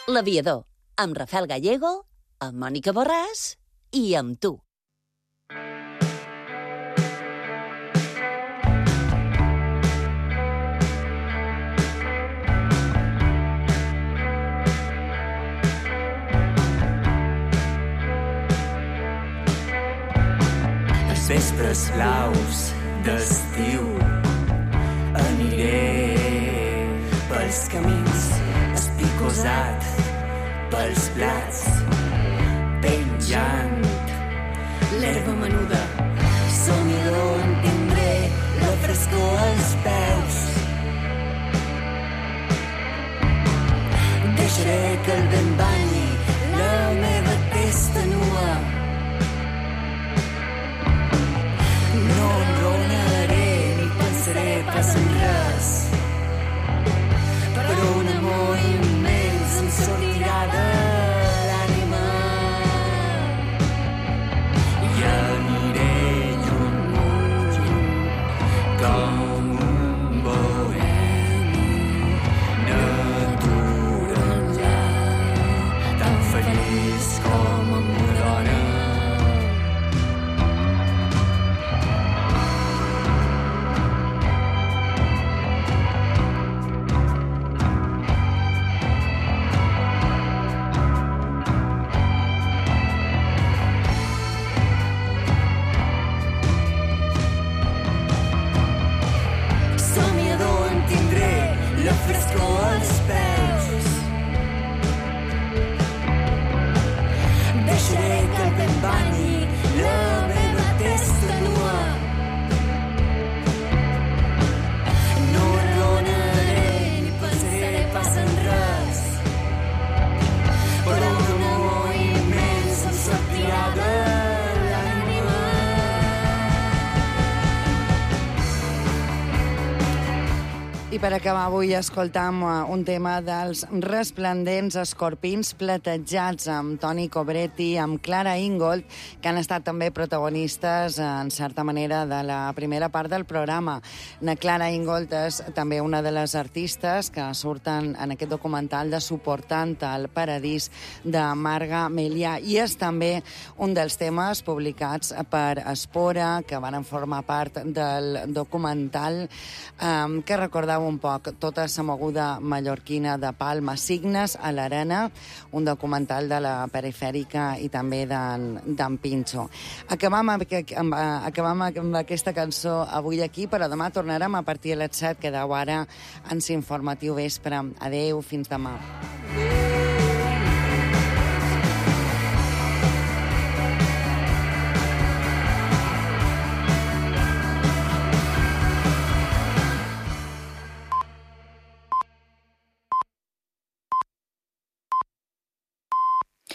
Speaker 3: L'Aviador, amb Rafael Gallego, amb Mònica Borràs i amb tu.
Speaker 16: Els vespres blaus d'estiu aniré pels camins, espicosat pels plats, penjant l'herba menuda. Somidor en tindré la frescor als peus. Deixaré que el vent banyi la meva testa nua. No enronaré ni pensaré pas en res, però un amor immens em sortirà de l'ànima. I aniré lluny, lluny, com peus. Deixaré que t'embani la meva testa nua. No adonaré ni pensaré pas en res, però un amor immens em sortirà de l'ànima.
Speaker 4: I per acabar avui escoltam un tema dels resplendents escorpins platejats amb Toni Cobretti, amb Clara Ingold, que han estat també protagonistes, en certa manera, de la primera part del programa. Na Clara Ingold és també una de les artistes que surten en aquest documental de Suportant el paradís de Marga Melià, i és també un dels temes publicats per Espora, que van formar part del documental, que recordava un poc tota la moguda mallorquina de Palma, Signes a l'Arena, un documental de la perifèrica i també d'en Pinxo. Acabam amb aquesta cançó avui aquí, però demà tornarem a partir de les 7. Quedeu ara en Informatiu Vespre. Adeu, fins demà.